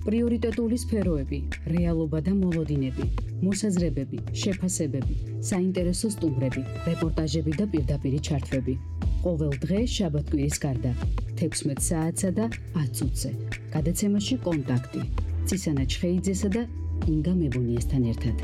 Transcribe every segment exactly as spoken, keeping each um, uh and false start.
პრიორიტეტული სფეროები, რეალობა და მოლოდინები, მოსაზრებები, შეფასებები, საინტერესო სტუმრები, რეპორტაჟები და პირდაპირი ჩართვები. ყოველ დღე შაბათ-კვირის გარდა, თექვსმეტ საათსა და ათ წუთზე. გადაცემაში კონტაქტი. ცისანა ჩხეიძესა და ინგა მებონიესთან ერთად.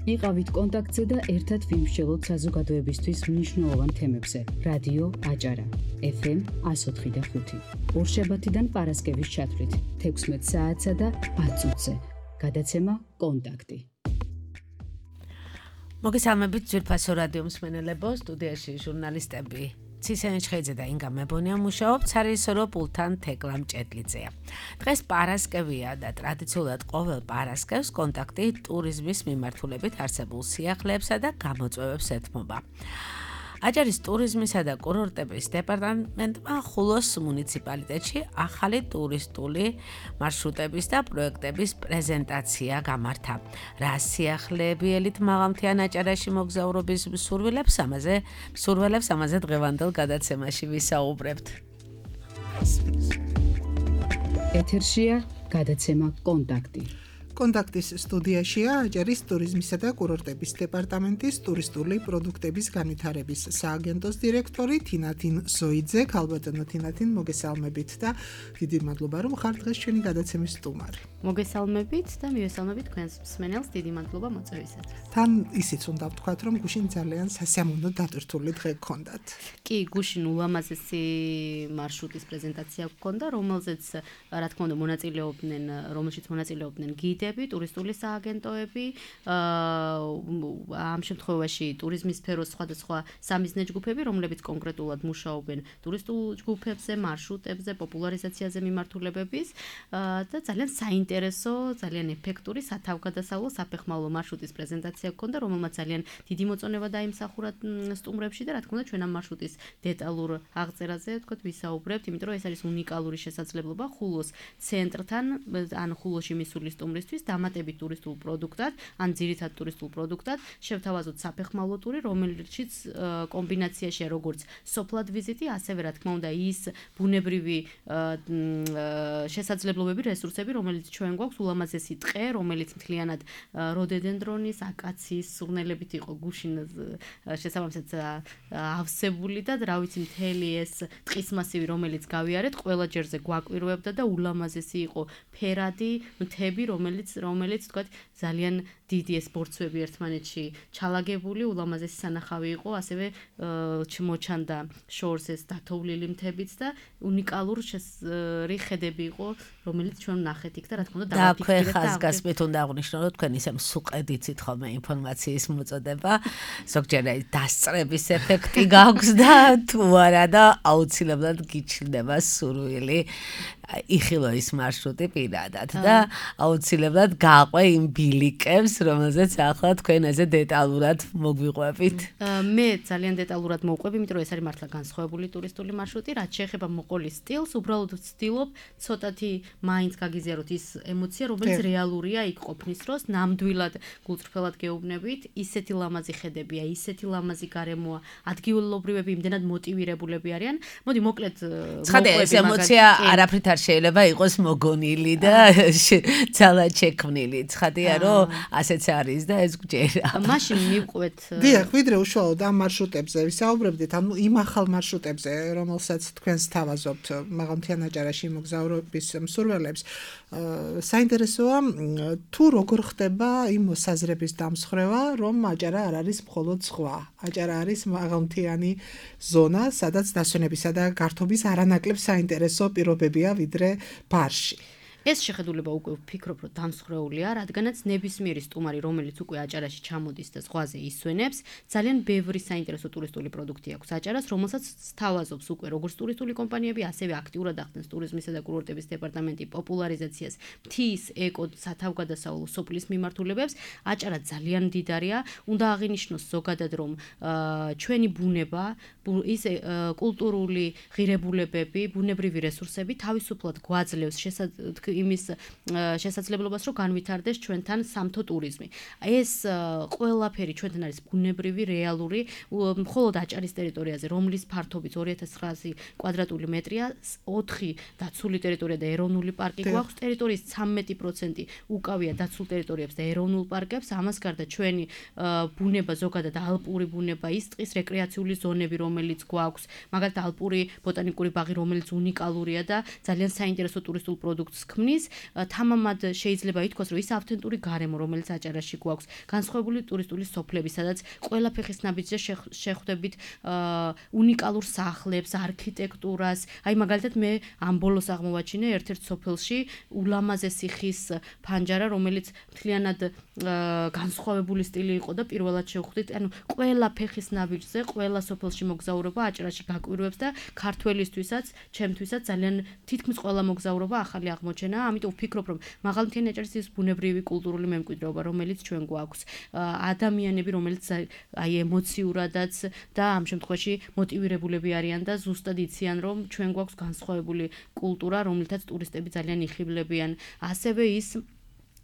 იყავით კონტაქტზე და ერთად ვიმსჯელოთ საზოგადოებისთვის მნიშვნელოვან თემებზე. რადიო აჭარა, ეფ ემ εκατო ოთხი და ხუთი. ორშაბათიდან პარასკევის ჩათვლით, თექვსმეტ საათსა და ათ წუთზე. გადაცემა კონტაქტი. მოგესალმებით ძვირფასო რადიო მსმენელებო, სტუდიაში ჟურნალისტები ცისანა ჩხეიძე და ინგა მებონია მუშაობთ, სარეჟისორო პულტთან თეკლა მჭედლიძეა. დღეს პარასკევია და ტრადიციულად ყოველ პარასკევს კონტაქტი ტურიზმის მიმართულებით არსებულ სიახლეებსა და გამოწვევებს ეთმობა. აჭარის ტურიზმისა და კურორტების დეპარტამენტმა ხულოს მუნიციპალიტეტში ახალი ტურისტული მარშრუტების და პროექტების პრეზენტაცია გამართა. რა სიახლეები ელით მაღალმთიან აჭარაში მოგზაურობის მსურველებს ამაზე მსურველებს ამაზე დღევანდელ გადაცემაში ვისაუბრებთ. ეთერშია გადაცემა კონტაქტი. კონტაქტის სტუდიაშია აჭარის ტურიზმისა და კურორტების დეპარტამენტის ტურისტული პროდუქტების განვითარების სააგენტოს დირექტორი თინათინ ზოიძე. ქალბატონო თინათინ, მოგესალმებით და დიდი მადლობა რომ ხართ დღეს ჩვენი გადაცემის სტუმარი. მოგესალმებით და მივესალმებით თქვენს მსმენელს, დიდი მადლობა მოწვევისათვის. თან ისიც უნდა ვთქვათ, რომ გუშინ ძალიან სასიამოვნო დატვირთული დღე გქონდათ. კი, გუშინ ულამაზესი მარშრუტის პრეზენტაცია გქონდა, რომელზეც რა თქმა უნდა მონაწილეობდნენ, რომელშიც მონაწილეობდნენ გიდები, ტურისტული სააგენტოები, ამ შემთხვევაში ტურიზმის სფეროს სხვადასხვა სამიზნე ჯგუფები, რომლებიც კონკრეტულად მუშაობენ ტურისტულ ჯგუფებზე, მარშრუტებზე, პოპულარიზაციაზე მიმართულებების და ძალიან საინტერესო, ძალიან ეფექტური სათავგადასავლო საფეხმავლო მარშრუტის პრეზენტაცია გქონდა, რომელმაც ძალიან დიდი მოწონება დაიმსახურა სტუმრებში და რა თქმა უნდა ჩვენ ამ მარშრუტის დეტალურ აღწერაზე ვთქვათ ვისაუბრებთ, იმიტომ რომ ეს არის უნიკალური შესაძლებლობა ხულოს ცენტრთან, ან ხულოში მისული სტუმრისთვის დამატებით ტურისტულ პროდუქტად, ან ძირითად ტურისტულ პროდუქტად შევთავაზოთ საფეხმავლო ტური, რომელშიც კომბინაციაშია როგორც სოფლად ვიზიტი, ასევე რა თქმა უნდა ის ბუნებრივი შესაძლებლობები, რესურსები, რომელიც ჩვენ გვაქვს, ულამაზესი ტყე, რომელიც მთლიანად როდოდენდრონის, აკაციის სურნელებით იყო გუშინ შესაბამისად ავსებული და რა ვიცი მთელი ეს ტყის მასივი, რომელიც გავიარეთ, ყველა ჯერზე გვაკვირვებდა და ულამაზესი იყო ფერადი მთები, რომელიც რომელიც თქვათ ძალიან დიდი ეს ბორცვები ერთმანეთში ჩალაგებული, ულამაზესი სანახავი იყო, ასევე მოჩანდა შორს ეს დათოვლილი მთებიც და უნიკალური ხედები იყო, რომელიც ჩვენ ვნახეთ იქ და რა თქმა უნდა დავაფიქრეთ და ხაზგასმით უნდა აღვნიშნო, რომ თქვენ ისე მსუყედიცით ხოლმე ინფორმაციის მოწოდება, ზოგჯერ დასწრების ეფექტი გაქვს და თუ არა და აუცილებლად გიჩნდება სურვილი იხილო ის მარშრუტი პირადად და აუცილებლად გაყვე იმ ბილიკებს, რომელზეც ახლა თქვენ ასე დეტალურად მოგვიყვებით. მე ძალიან დეტალურად მოვყვები, იმიტომ რომ ეს არის მართლა განსხვავებული ტურისტული მარშრუტი, რაც შეეხება მოყოლის სტილს, უბრალოდ ვცდილობ ცოტათი მაინც გაგიზიაროთ ის ემოცია, რომელიც რეალურია იქ ყოფნის დროს, ნამდვილად გულწრფელად გეუბნებით, ისეთი ლამაზი ხედებია, ისეთი ლამაზი გარემოა, ადგილობრივები იმდენად მოტივირებულები არიან. მოდი მოკლედ ცხადია, ეს ემოცია არაფრით არ შეიძლება იყოს მოგონილი და ძალად შექმნილი. ცხადია, რომ ასეც არის და ეს გჯერა. მაშინ მივყვეთ. დიახ, ვიდრე უშუალოდ ამ მარშრუტებზე ვისაუბრებდით, ანუ იმ ახალ მარშრუტებზე, რომელსაც თქვენს თავაზობთ მაღალმთიან აჭარაში მოგზაურობის მსურველებს, საინტერესოა თუ როგორ ხდება იმ მოსაზრების დამსხრევა, რომ აჭარა არ არის მხოლოდ ზღვა. აჭარა არის მაღალმთიანი ზონა, სადაც დასვენებისა და გართობის არანაკლებ საინტერესო პირობებია ვიდრე ბარში. ეს შეხედულება უკვე ვფიქრობ, რომ დამსხრეულია, რადგანაც ნებისმიერი სტუმარი, რომელიც უკვე აჭარაში ჩამოდის და ზღვაზე ისვენებს, ძალიან ბევრი საინტერესო ტურისტული პროდუქტი აქვს აჭარას, რომელსაც სთავაზობს უკვე როგორც ტურისტული კომპანიები, ასევე აქტიურად ახდენს ტურიზმისა და კურორტების დეპარტამენტი პოპულარიზაციას, მთის, ეკო, სათავგადასავლო სოფლის მიმართულებებს. აჭარა ძალიან მდიდარია, უნდა აღინიშნოს ზოგადად, რომ ჩვენი ბუნება, ის კულტურული ღირებულებები, ბუნებრივი რესურსები თავისუფლად გვაძლევს იმის შესაძლებლობას, რომ განვითარდეს ჩვენთან სამთო ტურიზმი. ეს ყველაფერი ჩვენთან არის ბუნებრივი, რეალური, მხოლოდ აჭარის ტერიტორიაზე, რომლის ფართობიც ორი ათას ცხრაასი კვადრატული მეტრია, ოთხი დაცული ტერიტორია და ეროვნული პარკი გვაქვს, ტერიტორიის ცამეტი პროცენტი უკავია დაცულ ტერიტორიებს და ეროვნულ პარკებს, ამას გარდა ჩვენი ბუნება, ზოგადად ალპური ბუნება, ის ტყის რეკრეაციული ზონები, რომელიც გვაქვს, მაგალითად ალპური ბოტანიკური ბაღი, რომელიც უნიკალურია და ძალიან საინტერესო ტურისტულ პროდუქტს ქმნის, თამამად შეიძლება ითქვას, რომ ის ავთენტური გარემო, რომელიც აჭარაში გვაქვს, განსხვავებული ტურისტული სოფლები, სადაც ყველა ფეხის ნაბიჯზე შეხვდებით უნიკალურ სახლებს, არქიტექტურას. აი მაგალითად მე ამ ბოლოს აღმოვაჩინე ერთ-ერთ სოფელში ულამაზესი ხის ფანჯარა, რომელიც მთლიანად განსხვავებული სტილი იყო და პირველად შევხვდით, ანუ ყველა ფეხის ნაბიჯზე, ყველა სოფელში მოგზაურობა აჭარაში გაკვირვებს და ქართველისთვისაც, ჩემთვისაც ძალიან თითქმის ყველა მოგზაურობა ახალი აღმოჩენაა, ამიტომ ვფიქრობ, რომ მაღალმთიანი აჭარის ის ბუნებრივი კულტურული მემკვიდრეობა, რომელიც ჩვენ გვაქვს, ადამიანები, რომელიც აი ემოციურადაც და ამ შემთხვევაში მოტივირებულები არიან და ზუსტად იციან, რომ ჩვენ გვაქვს განსხვავებული კულტურა, რომლითაც ტურისტები ძალიან იხიბლებიან. ასევე ის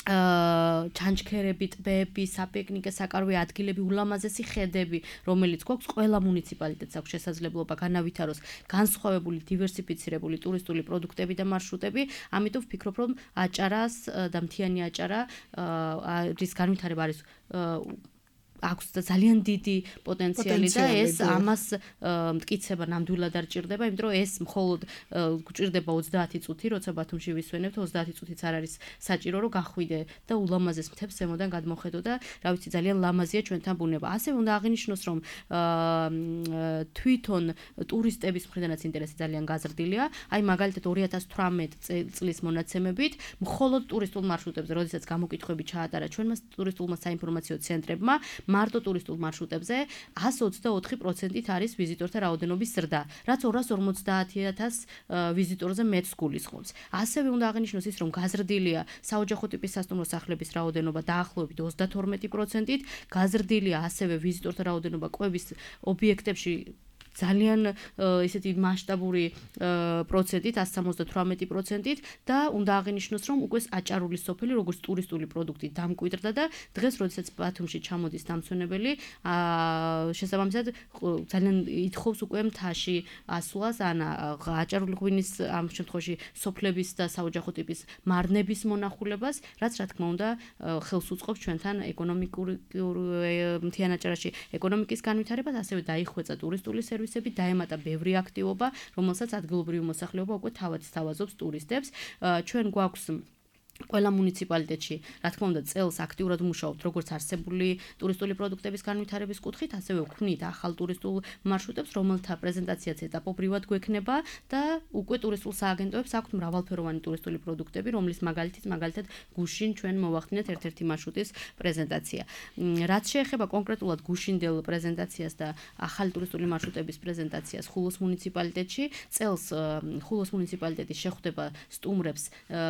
ჩანჩქერები, ტბები, საპიკნიკე, საკარვე ადგილები, ულამაზესი ხედები, რომელიც გვაქვს, ყველა მუნიციპალიტეტს აქვს შესაძლებლობა განავითაროს განსხვავებული, დივერსიფიცირებული ტურისტული პროდუქტები და მარშრუტები. ამიტომ ვფიქრობ, რომ აჭარას და მთიანი აჭარა რის განვითარება არის აქვს ძალიან დიდი პოტენციალი და ეს ამას მტკიცება ნამდვილად არ ჭირდება, იმიტომ რომ ეს მხოლოდ გვჭირდება ოცდაათი წუთი, როცა ბათუმში ვისვენებთ, ოცდაათი წუთიც არ არის საჭირო, რომ გახვიდე და ულამაზეს მთებს ზემოდან გადმოხედო და რა ვიცი, ძალიან ლამაზია ჩვენთან ბუნება. ასევე უნდა აღინიშნოს, რომ თვითონ ტურისტების მხრიდანაც ინტერესი ძალიან გაზრდილია. აი მაგალითად ორი ათას თვრამეტი წლის მონაცემებით, მხოლოდ ტურისტულ მარშრუტებზე, როდესაც გამოკითხვები ჩაატარა ჩვენმა ტურისტულმა საინფორმაციო ცენტრებმა, მარტო ტურისტულ მარშრუტებზე εκατს ოცდაოთხი პროცენტით არის ვიზიტორთა რაოდენობის ზრდა, რაც ორას ორმოცდაათი ათას ვიზიტორზე მეტს გულისხმობს. ასევე უნდა აღინიშნოს ის, რომ გაზრდილია საოჯახო ტიპის სასტუმრო სახლების რაოდენობა დაახლოებით ოცდათორმეტი პროცენტით, გაზრდილია ასევე ვიზიტორთა რაოდენობა კვების ობიექტებში ძალიან ისეთი მასშტაბური პროცენტით, εκατს სამოცდათვრამეტი პროცენტით და უნდა აღინიშნოს, რომ უკვე აჭარული სოფელი როგორც ტურისტული პროდუქტი დამკვიდრდა და დღეს, როდესაც ბათუმში ჩამოდის დამცვენებელი, შესაბამისად ძალიან ითხოვს უკვე მთაში ასვლას, ან აჭარული ღვინის ამ შემთხვევაში სოფლების და საოჯახო ტიპის მარნების მონახულებას, რაც რა თქმა უნდა ხელს უწყობს ჩვენთან ეკონომიკური მთიან აჭარაში ეკონომიკის განვითარებას, ასევე დაიხვეწა ტურისტული სერვისი დაემატა ბევრი აქტივობა, რომელსაც ადგილობრივი მოსახლეობა უკვე თავად სთავაზობს ტურისტებს. ჩვენ გვაქვს ყველა მუნიციპალიტეტში, რა თქმა უნდა, წელს აქტიურად მუშაობთ როგორც არსებული ტურისტული პროდუქტების განვითარების კუთხით, ასევე ვქმნით ახალ ტურისტულ მარშრუტებს, რომელთა პრეზენტაციაც ეტაპობრივად გვექნება და უკვე ტურისტულ სააგენტოებს აქვთ მრავალფეროვანი ტურისტული პროდუქტები, რომლის მაგალითიც მაგალითად გუშინ ჩვენ მოვახდინეთ ერთ-ერთი მარშრუტის პრეზენტაცია. რაც შეეხება კონკრეტულად გუშინდელ პრეზენტაციას და ახალი ტურისტული მარშრუტების პრეზენტაციას ხულოს მუნიციპალიტეტში, წელს ხულოს მუნიციპალიტეტი შეხვდება სტუმრებს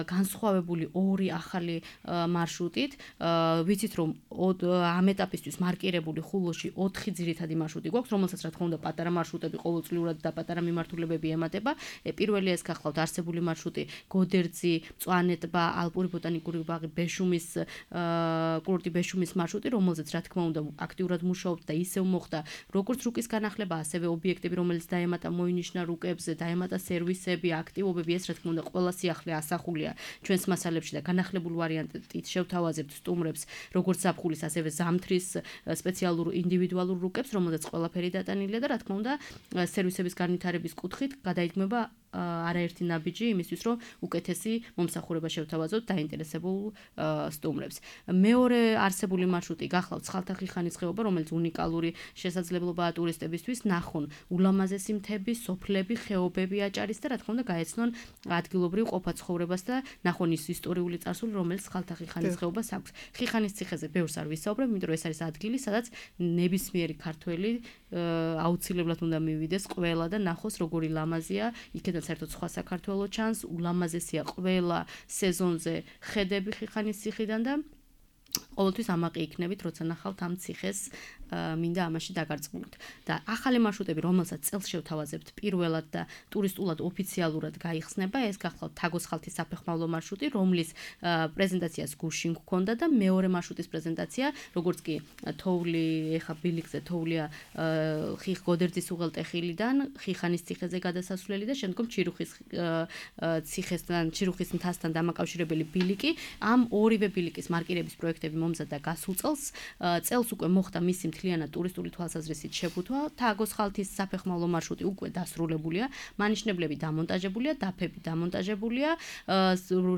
განსხვავებული ორი ახალი მარშრუტით. ვიცით, რომ ამ ეტაპისთვის მარკირებული ხულოში ოთხი ძირითადი მარშრუტი გვაქვს, რომელსაც რა თქმა უნდა პატარა მარშრუტები ყოველწლიურად და პატარა მიმართულებები ემატება. პირველი ეს გახლავთ არსებული მარშრუტი გოდერძი, მწვანე ტბა, ალპური ბოტანიკური ბაღი, ბეშუმის კურორტი ბეშუმის მარშრუტი, რომელზეც რა თქმა უნდა აქტიურად მუშაობთ და ისევ მოხდა როგორც რუკის განახლება, ასევე ობიექტები, რომელიც დაემატა მოინიშნა რუკებზე, დაემატა სერვისები, აქტივობები, ეს რა თქმა უნდა ყველა სიახლე ასახულია ჩვენს მასალებში და განახლებულ ვარიანტით შევთავაზებთ სტუმრებს როგორც ზაფხულის, ასევე ზამთრის სპეციალურ ინდივიდუალურ რუკებს, რომელზეც ყველაფერი დატანილია და რა თქმა უნდა სერვისების განვითარების კუთხით გადაიქმნება არაერთი ნაბიჯი იმისთვის, რომ უკეთესი მომსახურება შევთავაზოთ დაინტერესებულ სტუმრებს. მეორე არსებული მარშრუტი გახლავთ ცხალთახიხანის ხეობა, რომელიც უნიკალური შესაძლებლობაა ტურისტებისთვის, ნახონ ულამაზესი მთები, სოფლები, ხეობები აჭარის და რა თქმა უნდა გაეცნონ ადგილობრივ ყოფაცხოვრებას და ნახონ ის ისტორიული წარსული, რომელიც ცხალთახიხანის ხეობას აქვს. ხიხანის ციხეზე ბევრს არ ვისაუბრებ, იმიტომ რომ ეს არის ადგილი, სადაც ნებისმიერი ქართველი აუცილებლად უნდა მივიდეს ყველა და ნახოს როგორი ლამაზია, იქედან საერთოდ სხვა საქართველო ჩანს, ულამაზესია ყველა სეზონზე ხედები ხიხანის ციხიდან და ყოველთვის ამაყი იქნებით, როცა ნახავთ ამ ციხეს მინდა ამაში დაგარწმუნოთ. და ახალი მარშრუტები, რომელსაც წელს შევთავაზებთ პირველად და ტურისტულად ოფიციალურად გაიხსნება, ეს გახლავთ თაგოს ხალთის საფეხმავლო მარშრუტი, რომლის პრეზენტაციას გუშინ გქონდა და მეორე მარშრუტის პრეზენტაცია, როგორც კი თოვლი, ეხა ბილიქზე თოვლია ხიხ გოდერძის უღელტეხილიდან, ხიხანის ციხეზე გადასასვლელი და შემდგომ ჩირუხის ციხესთან, ჩირუხის მთასთან დამაკავშირებელი ბილიკი. ამ ორივე ბილიკის მარკირების პროექტები მომზადდა გასულ წელს. წელს უკვე მოხდა მისი მთლიანად ტურისტული თვალსაზრისით შეფუთვა. თაგოს ხალთის საფეხმავლო მარშრუტი უკვე დასრულებულია. მანიშნებლები დამონტაჟებულია, დაფები დამონტაჟებულია.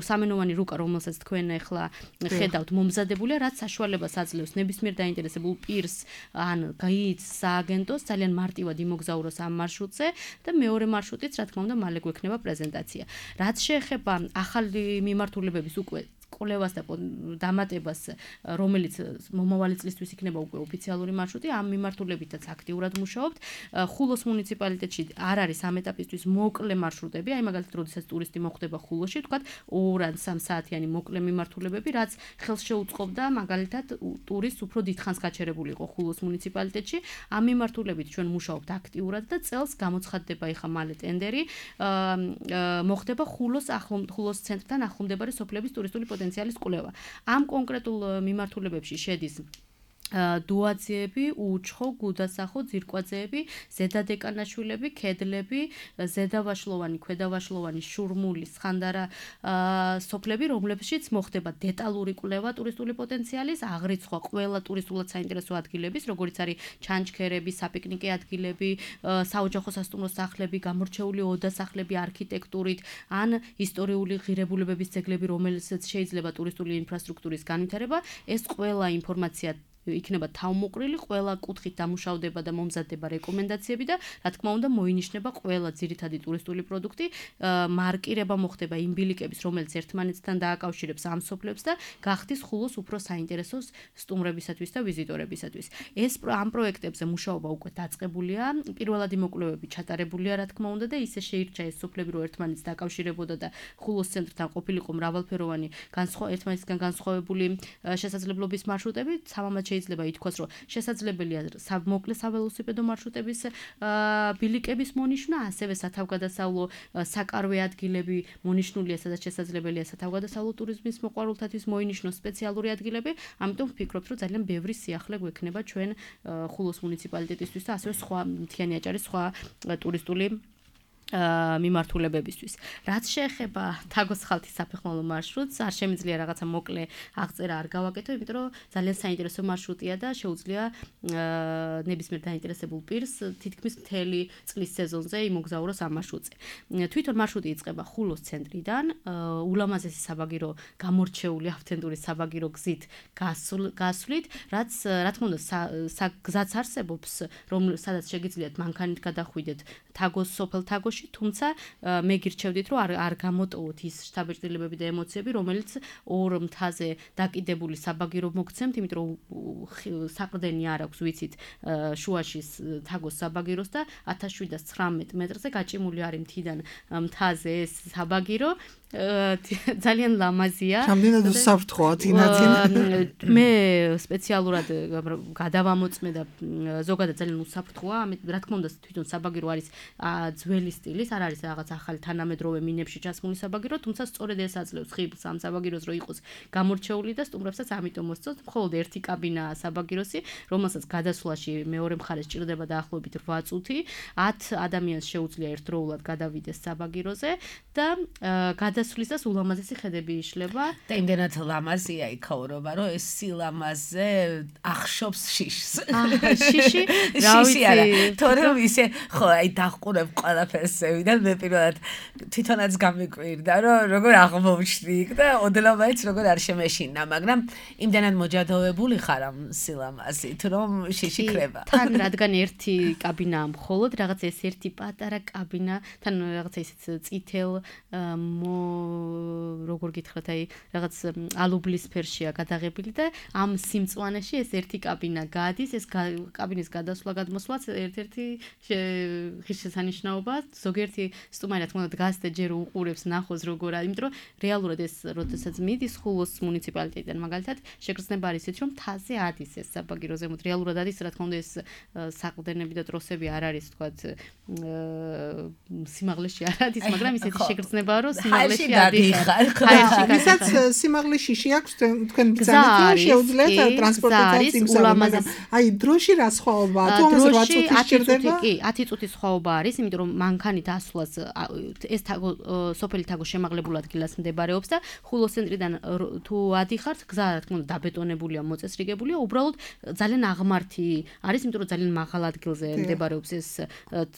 სამენოვანი რუკა, რომელსაც თქვენ ახლა ხედავთ, მომზადებულია, რაც საშუალებას აძლევს ნებისმიერ დაინტერესებულ პირს ან გაიც სააგენტოს ძალიან მარტივად იმოგზაუროს ამ მარშრუტზე და მეორე მარშრუტიც, რა თქმა უნდა, მალე გვექნება პრეზენტაცია. რაც შეეხება ახალი მიმართულებების უკვე კვლევას და დამატებას, რომელიც მომავალი წლისთვის იქნება უკვე ოფიციალური მარშრუტი, ამ მიმართულებითაც აქტიურად მუშაობთ. ხულოს მუნიციპალიტეტში არ არის ამ ეტაპისთვის მოკლე მარშრუტები, აი მაგალითად, როდესაც ტურისტი მოხვდება ხულოში, თქვათ ორ ან სამ საათიანი მოკლე მიმართულებები, რაც ხელს შეუწყობდა მაგალითად ტურისტს უფრო დიდხანს გაჩერებული იყო ხულოს მუნიციპალიტეტში. ამ მიმართულებით ჩვენ მუშაობთ აქტიურად და წელს გამოცხადდება ეხა მალე ტენდერი, მოხდება ხულოს ხულოს ცენტრთან ახლომდებარე სოფლების ტურისტული პოტენციალის კვლევა. ამ კონკრეტულ მიმართულებებში შედის დუაძეები, უჩხო, გუდასახო, ძირკვაძეები, ზედადეკანაშვილები, კედლები, ზედავაშლოვანი, ქვედავაშლოვანი, შურმული, სხანდარა სოფლები, რომლებშიც მოხდება დეტალური კვლევა ტურისტული პოტენციალის, აღრიცხვა ყველა ტურისტულად საინტერესო ადგილების, როგორც არის ჩანჩქერები, საპიკნიკე ადგილები, საოჯახო სასტუმრო სახლები, გამორჩეული ოდასახლები არქიტექტურით, ან ისტორიული ღირებულებების ძეგლები, რომელსაც შეიძლება ტურისტული ინფრასტრუქტურის განვითარება, ეს ყველა ინფორმაცია იქნება თავმოყრილი, ყველა კუთხით დამუშავდება და მომზადდება რეკომენდაციები და რა თქმა უნდა მოინიშნება ყველა ძირითადი ტურისტული პროდუქტი, მარკირება მოხდება იმ ბილიკების, რომელიც ერთმანეთთან დააკავშირებს ამ სოფლებს და გახდის ხულოს უფრო საინტერესო სტუმრებისათვის და ვიზიტორებისათვის. ეს ამ პროექტებზე მუშაობა უკვე დაწყებულია, პირველადი მოკვლევები ჩატარებულია, რა თქმა უნდა და ისე შეირჩა ეს სოფლები, რომ ერთმანეთს დაკავშირებოდა და ხულოს ცენტრთან ყოფილიყო მრავალფეროვანი ერთმანეთისგან განსხვავებული შესაძლებლობის მარშრუტები, სამამად შეიძლება ითქვას, რომ შესაძლებელია მოკლე საველოსიპედო მარშრუტების ბილიკების მონიშნა, ასევე სათავგადასავლო საკარვე ადგილები მონიშნულია, სადაც შესაძლებელია სათავგადასავლო ტურიზმის მოყვარულთათვის მოინიშნოს სპეციალური ადგილები, ამიტომ ვფიქრობთ, რომ ძალიან ბევრი სიახლე გვექნება ჩვენ ხულოს მუნიციპალიტეტისთვის და ასევე სხვა მთიანი აჭარის სხვა ტურისტული მიმართულებებისთვის. რაც შეეხება თაგოს ხალთის საფეხმავლო მარშრუტს, არ შემიძლია რაღაცა მოკლე აღწერა არ გავაკეთო, იმიტომ რომ ძალიან საინტერესო მარშრუტია და შეუძლია ნებისმიერ დაინტერესებულ პირს თითქმის მთელი წლის სეზონზე იმოგზაუროს ამ მარშრუტზე. თვითონ მარშრუტი იწყება ხულოს ცენტრიდან, ულამაზესი საბაგირო გამორჩეული ავთენტური საბაგირო გზით გასვლით, რაც რა თქმა უნდა გზაც არსებობს, რომ სადაც შეგიძლიათ მანქანით გადახვიდეთ თაგოს სოფელ თაგოში, თუმცა მე გირჩევდით, რომ არ არ გამოტოვოთ ის შთაბეჭდილებები და ემოციები, რომელიც ორ მთაზე დაკიდებული საბაგირო მოგცემთ, იმიტომ რომ საყრდენი არ აქვს, ვიცით, შუაში თაგოს საბაგიროს და ათას შვიდას ცხრამეტ მეტრზე გაჭიმული არის მთიდან მთაზე ეს საბაგირო. ძალიან ლამაზია. რამდენად უსაფრთხოა თინათინ? მე სპეციალურად გადავამოწმე და ზოგადად ძალიან უსაფრთხოა. რა თქმა უნდა, თვითონ საბაგირო არის ძველი სტილის, არ არის რაღაც ახალი თანამედროვე მინებში ჩასმული საბაგირო, თუმცა სწორედ ეს აძლევს ხიბლს ამ საბაგიროს, რომ იყოს გამორჩეული და სტუმრებსაც ამიტომ მოსწონთ. მხოლოდ ერთი კაბინაა საბაგიროსი, რომელსაც გადასვლაში მეორე მხარეს ჭირდება დაახლოებით რვა წუთი. ათ ადამიანს შეუძლია ერთდროულად გადავიდეს საბაგიროზე და გადასვლისას ულამაზესი ხედები იშლება. და იმდენად ლამაზია იქაურობა, რომ ეს სილამაზე ახშობს შიშს. შიში, რა ვიცი, თორემ ისე ხო, აი დახყურებ ყველაფერს ზევიდან, მე პირველად თვითონაც გამიკვირდა, რომ როგორ აღმოჩნდი იქ და ოდლავაიც როგორ არ შემეშინა, მაგრამ იმდენად მოჯადოვებული ხარ ამ სილამაზით, რომ შიში ხრება. თან რადგან ერთი კაბინაა მხოლოდ, რაღაც ეს ერთი პატარა კაბინა, თან რაღაცა ისეთ წითელ როგორ გითხრათ, აი რაღაც ალუბლის ფერშია გადაღებილი და ამ სიმწვანეში ეს ერთი კაბინა გადის, ეს კაბინის გადასვლა გადმოსვლაც ერთ-ერთი ღირსშესანიშნაობა, ზოგიერთი სტუმარი რა თქმა უნდა დგას და ჯერ უყურებს ნახოს როგორ არის, იმიტომ რომ რეალურად ეს როდესაც მიდის ხულოს მუნიციპალიტეტიდან მაგალითად შეგრძნება არის ისეთ რომ თაზე ადის ეს საბაგირო ზემოთ რეალურად ადის რა თქმა უნდა ეს საყრდენები და ტროსები არ არის თქვათ სიმაღლეში არ ადის, მაგრამ ისეთი შეგრძნებაა რომ სიმაღლეში ადიხარ. ვისაც სიმაღლეში შეაქვს თქვენ ბრძანეთ რომ შეუძლიათ ტრანსპორტაციის იმსავე, აი დროში რა სხვაობაა? თუ ამას რვა წუთი სჭირდება? კი, ათი წუთის სხვაობა არის, იმიტომ რომ მანქანით ასვლას ეს თაგო სოფელი თაგო შემაღლებულ ადგილას მდებარეობს და ხულოს ცენტრიდან თუ ადიხართ, გზა რა თქმა უნდა დაბეტონებულია, მოწესრიგებულია, უბრალოდ ძალიან აღმართი არის, იმიტომ რომ ძალიან მაღალ ადგილზე მდებარეობს ეს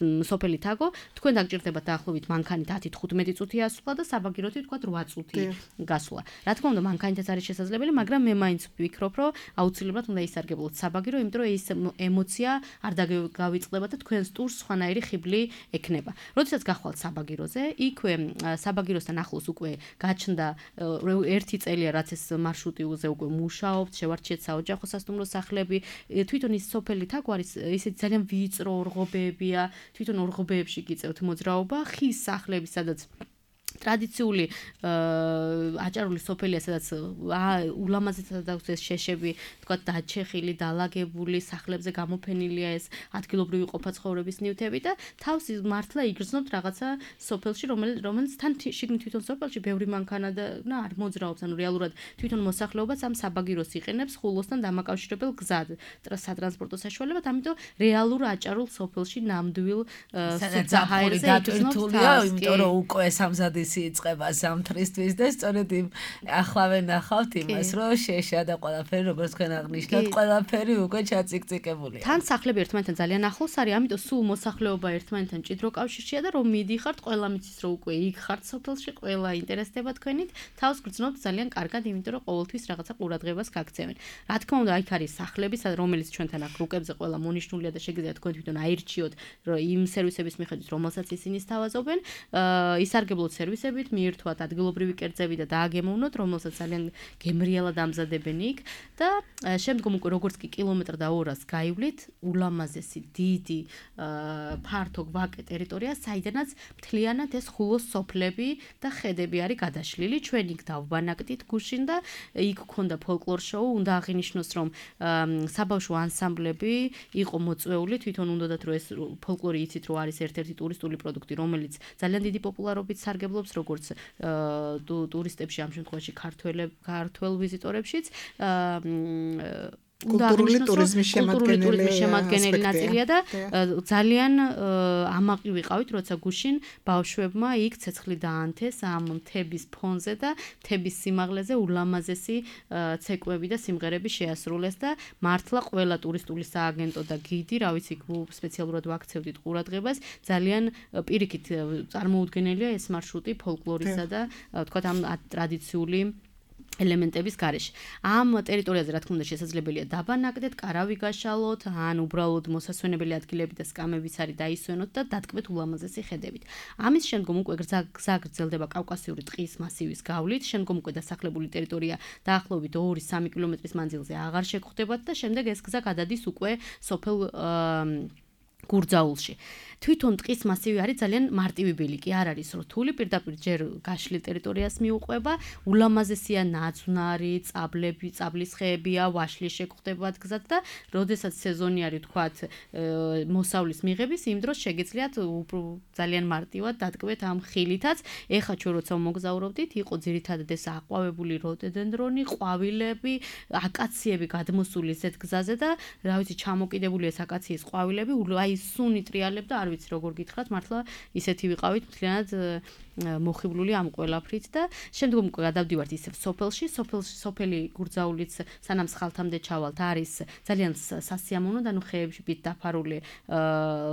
სოფელი თაგო. თქვენ დაგჭირდებათ დაახლოებით მანქანით ათი თხუთმეტი წუთი ასვლა და საბაგიროთი თქვა რვა წუთი გასვლა. რა თქმა უნდა მანქანითაც არის შესაძლებელი, მაგრამ მე მაინც ვფიქრობ, რომ აუცილებლად უნდა ისარგებლოთ საბაგირო, იმიტომ რომ ეს ემოცია არ დაგავიწყდება და თქვენს ტურს სხვანაირი ხიბლი ექნება. როდესაც გახვალთ საბაგიროზე, იქვე საბაგიროსთან ახლოს უკვე გაჩნდა ერთი წელია რაც ეს მარშრუტიზე უკვე მუშაობთ, შევარჩიეთ საოჯახო სასტუმრო სახლები. თვითონ ის სოფელი თაგო არის ისეთი ძალიან ვიწრო ორღობებია, თვითონ ორღობებში გიწევთ მოძრაობა, ხის სახლები, სადაც ტრადიციული აჭარული სოფელია, სადაც ულამაზესად აქვს ეს შეშები, თქვა დაჩეხილი, დალაგებული, სახლებზე გამოფენილია ეს ადგილობრივი ყოფა-ცხოვრების ნივთები და თავს მართლა იგრძნობთ რაღაცა სოფელში, რომელიც თან შიგნით თვითონ სოფელში ბევრი მანქანა და არ მოძრაობს, ანუ რეალურად თვითონ მოსახლეობაც ამ საბაგიროს იყენებს ხულოსთან დამაკავშირებელ გზად სატრანსპორტო საშუალებად, ამიტომ რეალურ აჭარულ სოფელში ნამდვილ საჰაერზე იგრძნობთ, იმიტომ რომ უკვე სამზადი იწყება ზამთრისთვის და სწორედ იმ ახლავე ნახავთ იმას, რომ შეშა და ყველაფერი როგორც თქვენ აღნიშნავთ, ყველაფერი უკვე ჩაწიკწიკებულია. თან სახლები ერთმანეთთან ძალიან ახლოს არის, ამიტომ სულ მოსახლეობა ერთმანეთთან ჭიდრო კავშირშია და რომ მიდიხართ, ყველა მიცის რომ უკვე იქ ხართ სოფელში, ყველა ინტერესდება თქვენით, თავს გრძნობთ ძალიან კარგად, იმიტომ რომ ყოველთვის რაღაცა ყურადღებას გაგცემენ. რა თქმა უნდა, იქ არის სახლები, რომელიც ჩვენთან აქ რუკებზე ყველა მონიშნულია და შეგიძლიათ თქვენ თვითონ აირჩიოთ, რომ იმ სერვისების მიხედვით, რომელსაც ისინი სთავაზობენ, ისარგებლოთ სერვისებით, მიირთვათ ადგილობრივი კერძები და დააგემოვნოთ, რომელსაც ძალიან გემრიელად ამზადებენ იქ და შემდგომ უკვე როგორც კი კილომეტრ და ორას გაივლით, ულამაზესი, დიდი, ფართო გვაკე ტერიტორია, საიდანაც მთლიანად ეს ხულოს სოფლები და ხედები არის გადაშლილი. ჩვენ იქ დავბანაკდით გუშინ და იქ ქონდა ფოლკლორ შოუ, უნდა აღინიშნოს, რომ საბავშვო ანსამბლები იყო მოწვეული, თვითონ უნდათ რომ ეს ფოლკლორი იცით, რომ არის ერთ-ერთი ტურისტული პროდუქტი, რომელიც ძალიან დიდი პოპულარობით სარგებლობს როგორც ტურისტებში, ამ შემთხვევაში ქართველ ვიზიტორებშიც. კულტურული ტურიზმის შემადგენელი ნაწილია და ძალიან ამაყი ვიყავით, როცა გუშინ ბავშვებმა იქ ცეცხლი დაანთეს ამ მთების ფონზე და მთების სიმაღლეზე ულამაზესი ცეკვები და სიმღერები შეასრულეს და მართლა ყველა ტურისტული სააგენტო და გიდი, რა ვიცი, სპეციალურად ვაქცევდით ყურადღებას, ძალიან პირიქით წარმოუდგენელია ეს მარშრუტი ფოლკლორისა და თქვათ ამ ტრადიციული ელემენტების გარეშე. ამ ტერიტორიაზე რა თქმა უნდა შესაძლებელია დაბანაკდეთ, კარავი გაშალოთ, ან უბრალოდ მოსასვენებელი ადგილები და სკამებიც არის დაისვენოთ და დატკბეთ ულამაზესი ხედებით. ამის შემდგომ უკვე გზა გრძელდება კავკასიური ტყის მასივის გავლით, შემდგომ უკვე დასახლებული ტერიტორია დაახლოებით ორი სამი კილომეტრის მანძილზე აღარ შეგხვდებათ და შემდეგ ეს გზა გადადის უკვე სოფელ გურძაულში. თვითონ ტყის მასივი არის ძალიან მარტივი ბილიკი, არ არის რთული, პირდაპირ ჯერ გაშლილ ტერიტორიას მიუყვება, ულამაზესია ნაძვნარი, წაბლები, წაბლის ხეებია, ვაშლი შეგხვდებათ გზად და როდესაც სეზონი არის, თქვათ, მოსავლის მიღების, იმ დროს შეგიძლიათ ძალიან მარტივად დატკბეთ ამ ხილითაც. ეხლა ჩვენ როცა მოგზაურობდით, იყო ძირითადად ეს აყვავებული როდოდენდრონი, ყვავილები, აკაციები გადმოსული ზეთ გზაზე და რა ვიცი, ჩამოკიდებული ეს აკაციის ყვავილები, აი სუნი ტრიალებდა, არ ვიცი როგორ გითხრათ, მართლა ისეთი ვიყავით მთლიანად მოხიბლული ამ ყველაფრით და შემდგომ უკვე გადავდივართ ისევ სოფელში, სოფელში სოფელი გურძაულიც სანამ სხალთამდე ჩავალთ არის ძალიან სასიამოვნო და ნუ ხეებში დაფარული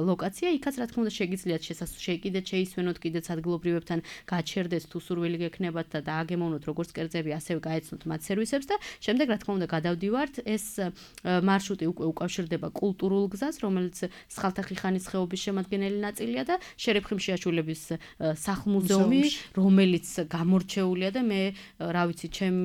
ლოკაცია, იქაც რა თქმა უნდა შეგიძლიათ შეკიდეთ, შეისვენოთ კიდეც ადგილობრივებთან, გაჩერდეთ თუ სურვილი გექნებათ და დააგემოვნოთ როგორც კერძები, ასევე გაეცნოთ მათ სერვისებს და შემდეგ რა თქმა უნდა გადავდივართ, ეს მარშრუტი უკვე უკავშირდება კულტურულ გზას, რომელიც სხალთახიხანის ხეობის შემადგენელი ნაწილია და შერეფხიმ შეაშულების სახლ-მუზეუმი, რომელიც გამორჩეულია და მე რა ვიცი, ჩემ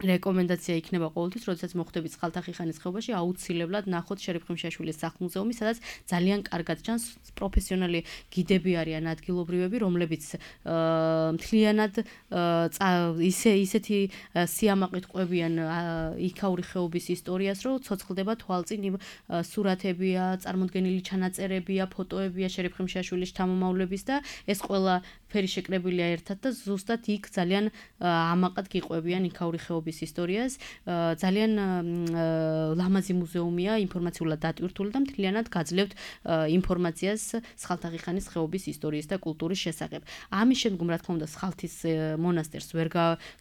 რეკომენდაცია იქნება ყოველთვის, როდესაც მოხვდებით სხალთაღიხანის ხეობაში, აუცილებლად ნახოთ შერიფ ხიმშაშვილის სახლ-მუზეუმი, სადაც ძალიან კარგად ჩანს პროფესიონალი გიდები არიან ადგილობრივები, რომლებიც მთლიანად ისე ისეთი სიამაყით ყვებიან იქაური ხეობის ისტორიას, რომ ცოცხლდება თვალწინ იმ სურათებია, წარმოდგენილი ჩანაწერებია, ფოტოებია შერიფ ხიმშაშვილის შთამომავლების და ეს ყველა ფერი შეკრებილია ერთად და ზუსტად იქ ძალიან ამაყად გიყვებიან იქაური ხეობის ისტორიას. ძალიან ლამაზი მუზეუმია, ინფორმაციულად დატვირთული და მთლიანად გაძლევთ ინფორმაციას სხალთაღიხანის ხეობის ისტორიის და კულტურის შესახებ. ამის შემდგომ, რა თქმა უნდა, სხალთის მონასტერს ვერ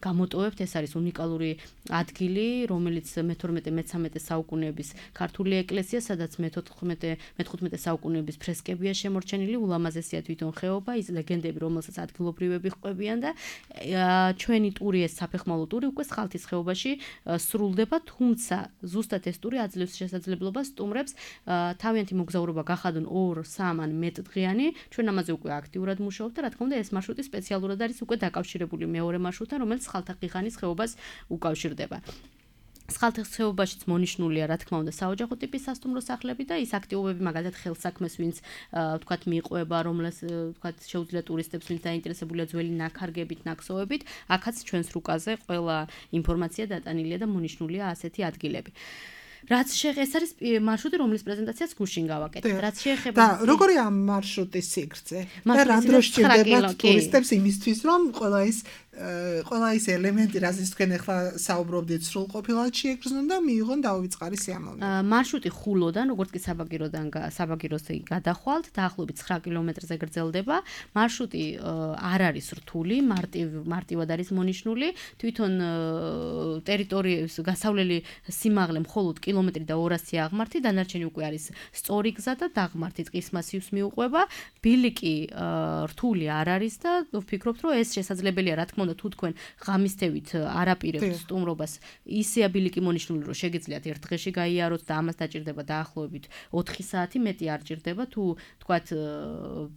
გამოტოვებთ, ეს არის უნიკალური ადგილი, რომელიც მეთორმეტე მეთერთმეტე საუკუნეების ქართული ეკლესია, სადაც მეთოთხმეტე მეთყუთმეტე საუკუნეების ფრესკებია შემორჩენილი, ულამაზესია თვითონ ხეობა, ის ლეგენდები, რომელსაც ადგილობრივები ყვებიან და ჩვენი ტური, ეს საფეხმავლო ტური უკვე სხალთის ხეობაში სრულდება, თუმცა ზუსტად ეს ტური აძლევს შესაძლებლობას სტუმრებს თავიანთი მოგზაურობა გახადონ ორ, სამ ან მეტ დღიანი. ჩვენ ამაზე უკვე აქტიურად მუშაობთ და რა თქმა უნდა ეს მარშრუტი სპეციალურად არის უკვე დაკავშირებული მეორე მარშრუტთან, რომელიც სხალთაღიხანის ხეობას უკავშირდება. სხალთის ხეობაშიც მონიშნულია, რა თქმა უნდა, საოჯახო ტიპის სასტუმრო სახლები და ის აქტივობები, მაგალითად, ხელსაქმეს, ვინც ვთქვათ, მიყვება, რომელს ვთქვათ, შეუძლია ტურისტებს, ვინც დაინტერესებულია ძველი ნაქარგებით, ნაკსოვებით, აქაც ჩვენს რუკაზე ყველა ინფორმაცია დატანილია და მონიშნულია ასეთი ადგილები. რაც შეეხება ეს არის მარშრუტი, რომლის პრეზენტაციას გუშინ გავაკეთეთ. რაც შეეხება და როგორია ამ მარშრუტის სიგრძე? და რა დროს ჭირდება ტურისტებს იმისთვის, რომ ყველა ის ყველა ის ელემენტი, რაზეც თქვენ ახლა საუბრობდით, სრულყოფილად შეეგრძნონ და მიიღონ დაუვიწყარი სიამოვნება. მარშრუტი ხულოდან, როგორც კი საბაგიროდან საბაგიროსზე გადახვალთ, დაახლოებით ცხრა კილომეტრზე გრძელდება. მარშრუტი არ არის რთული, მარტივ მარტივად არის მონიშნული. თვითონ ტერიტორიის გასავლელი სიმაღლე მხოლოდ კილომეტრი და ორასი აღმართი, დანარჩენი უკვე არის სწორი გზა და დაღმართი ტყის მასივს მიუყვება. ბილიკი რთული არ არის და ვფიქრობთ, რომ ეს შესაძლებელია, რა თქმა უნდა, თუ თქვენ ღამისთევით არაპირებთ სტუმრობას, ისეა ბილიკი მონიშნული, რომ შეგიძლიათ ერთ დღეში გაიაროთ და ამას დაჭირდება დაახლოებით ოთხი საათი, მეტი არ ჭირდება, თუ თქვათ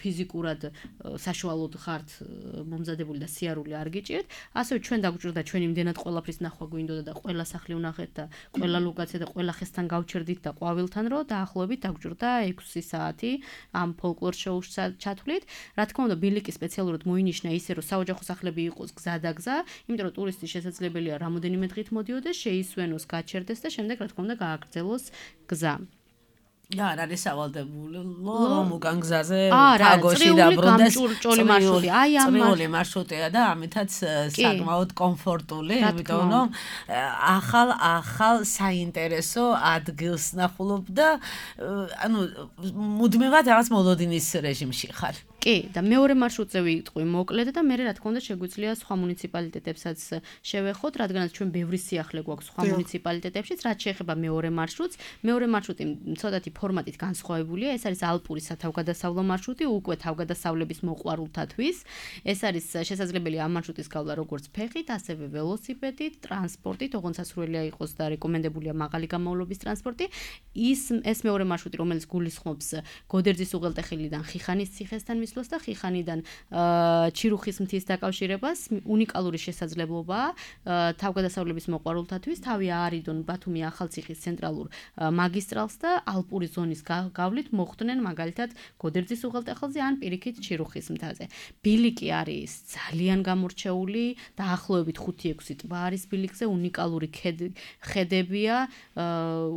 ფიზიკურად საშუალოდ ხართ მომზადებული და სიარული არ გიჭირთ. ასევე ჩვენ დაგვჭირდა ჩვენ იმდენად ყველაფრის ნახვა გვინდოდა და ყველა სახლი ვნახეთ და ყველა ლოკაცია და ყველა ხესთან გავჩერდით და ყვავილთან, რომ დაახლოებით დაგვჭირდა ექვსი საათი ამ ფოლკლორ შოუს ჩათვლით. რა თქმა უნდა, ბილიკი სპეციალურად მოინიშნა ისე, რომ საოჯახო სახლები იყოს გზა და გზა, იმიტომ რომ ტურისტი შესაძლებელია რამოდენიმე დღით მოდიოდეს, შეისვენოს, გაჩერდეს და შემდეგ რა თქმა უნდა გააგრძელოს გზა. და არ არის სავალდებული რომ უკან გზაზე არა, თაგოში დაბრუნდეს წრიული მარშრუტი. აი ამ წრიული მარშრუტია და ამითაც საკმაოდ კომფორტული, იმიტომ რომ ახალ ახალ საინტერესო ადგილს ნახულობ და ანუ მუდმივად რაღაც მოლოდინის რეჟიმში ხარ. კი, და მეორე მარშრუტზე ვიტყვი მოკლედ და მე რა თქმა უნდა შეგვიძლია სხვა მუნიციპალიტეტებსაც შევეხოთ, რადგანაც ჩვენ ბევრი სიახლე გვაქვს სხვა მუნიციპალიტეტებშიც, რაც შეეხება მეორე მარშრუტს. მეორე მარშრუტი ცოტათი ფორმატით განსხვავებულია, ეს არის ალპური სათავგადასავლო მარშრუტი, უკვე თავგადასავლების მოყვარულთათვის. ეს არის შესაძლებელი ამ მარშრუტის გავლა როგორც ფეხით, ასევე ველოსიპედით, ტრანსპორტით, ოღონდ სასურველია იყოს და რეკომენდებულია მაღალი გამოვლობის ტრანსპორტი. ის ეს მეორე მარშრუტი, რომელიც გულისხმობს გოდერძის უღელტეხილიდან ხიხანის ციხესთან მისვლას და ხიხანიდან ჩირუხის მთის დაკავშირებას, უნიკალური შესაძლებლობაა თავგადასავლების მოყვარულთათვის, თავი აარიდონ ბათუმი ახალციხის ცენტრალურ მაგისტრალს და ალპური ზონის გავლით მოხვდნენ მაგალითად გოდერძის უღელტეხილზე ან პირიქით ჩირუხის მთაზე. ბილიკი არის ძალიან გამორჩეული, დაახლოებით ხუთი ექვსი ტბა არის ბილიკზე, უნიკალური ხედებია,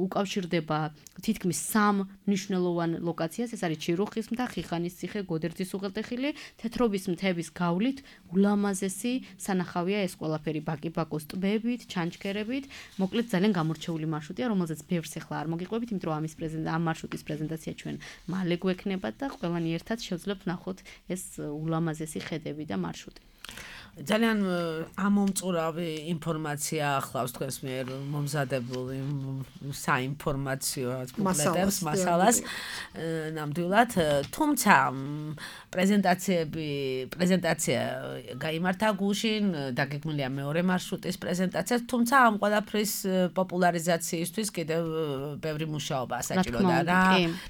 უკავშირდება თითქმის სამ მნიშვნელოვან ლოკაციას, ეს არის ჩირუხის მთა, ხიხანის ციხე, გოდერძის უღელტეხილი, თეთრობის მთების გავლით, ულამაზესი სანახავია ეს ყველაფერი ბაკი-ბაკოს ტბებით, ჩანჩქერებით. მოკლედ ძალიან გამორჩეული მარშრუტია, რომელზეც ბევრს ახლა არ მოგიყვებით, იმიტომ რომ ამის ამ მარშრუტის პრეზენტაცია ჩვენ მალე გვექნება და ყველანი ერთად შევძლებთ ნახოთ ეს ულამაზესი ხედები და მარშრუტი. ძალიან ამომწურავი ინფორმაცია ახლავს თქვენს მიერ მომზადებული საინფორმაციო პუბლიკაციებს მასალას ნამდვილად, თუმცა პრეზენტაციები პრეზენტაცია გაიმართა გუშინ, დაგეგმილია მეორე მარშრუტის პრეზენტაცია, თუმცა ამ ყველაფრის პოპულარიზაციისთვის კიდევ ბევრი მუშაობა საჭიროა რა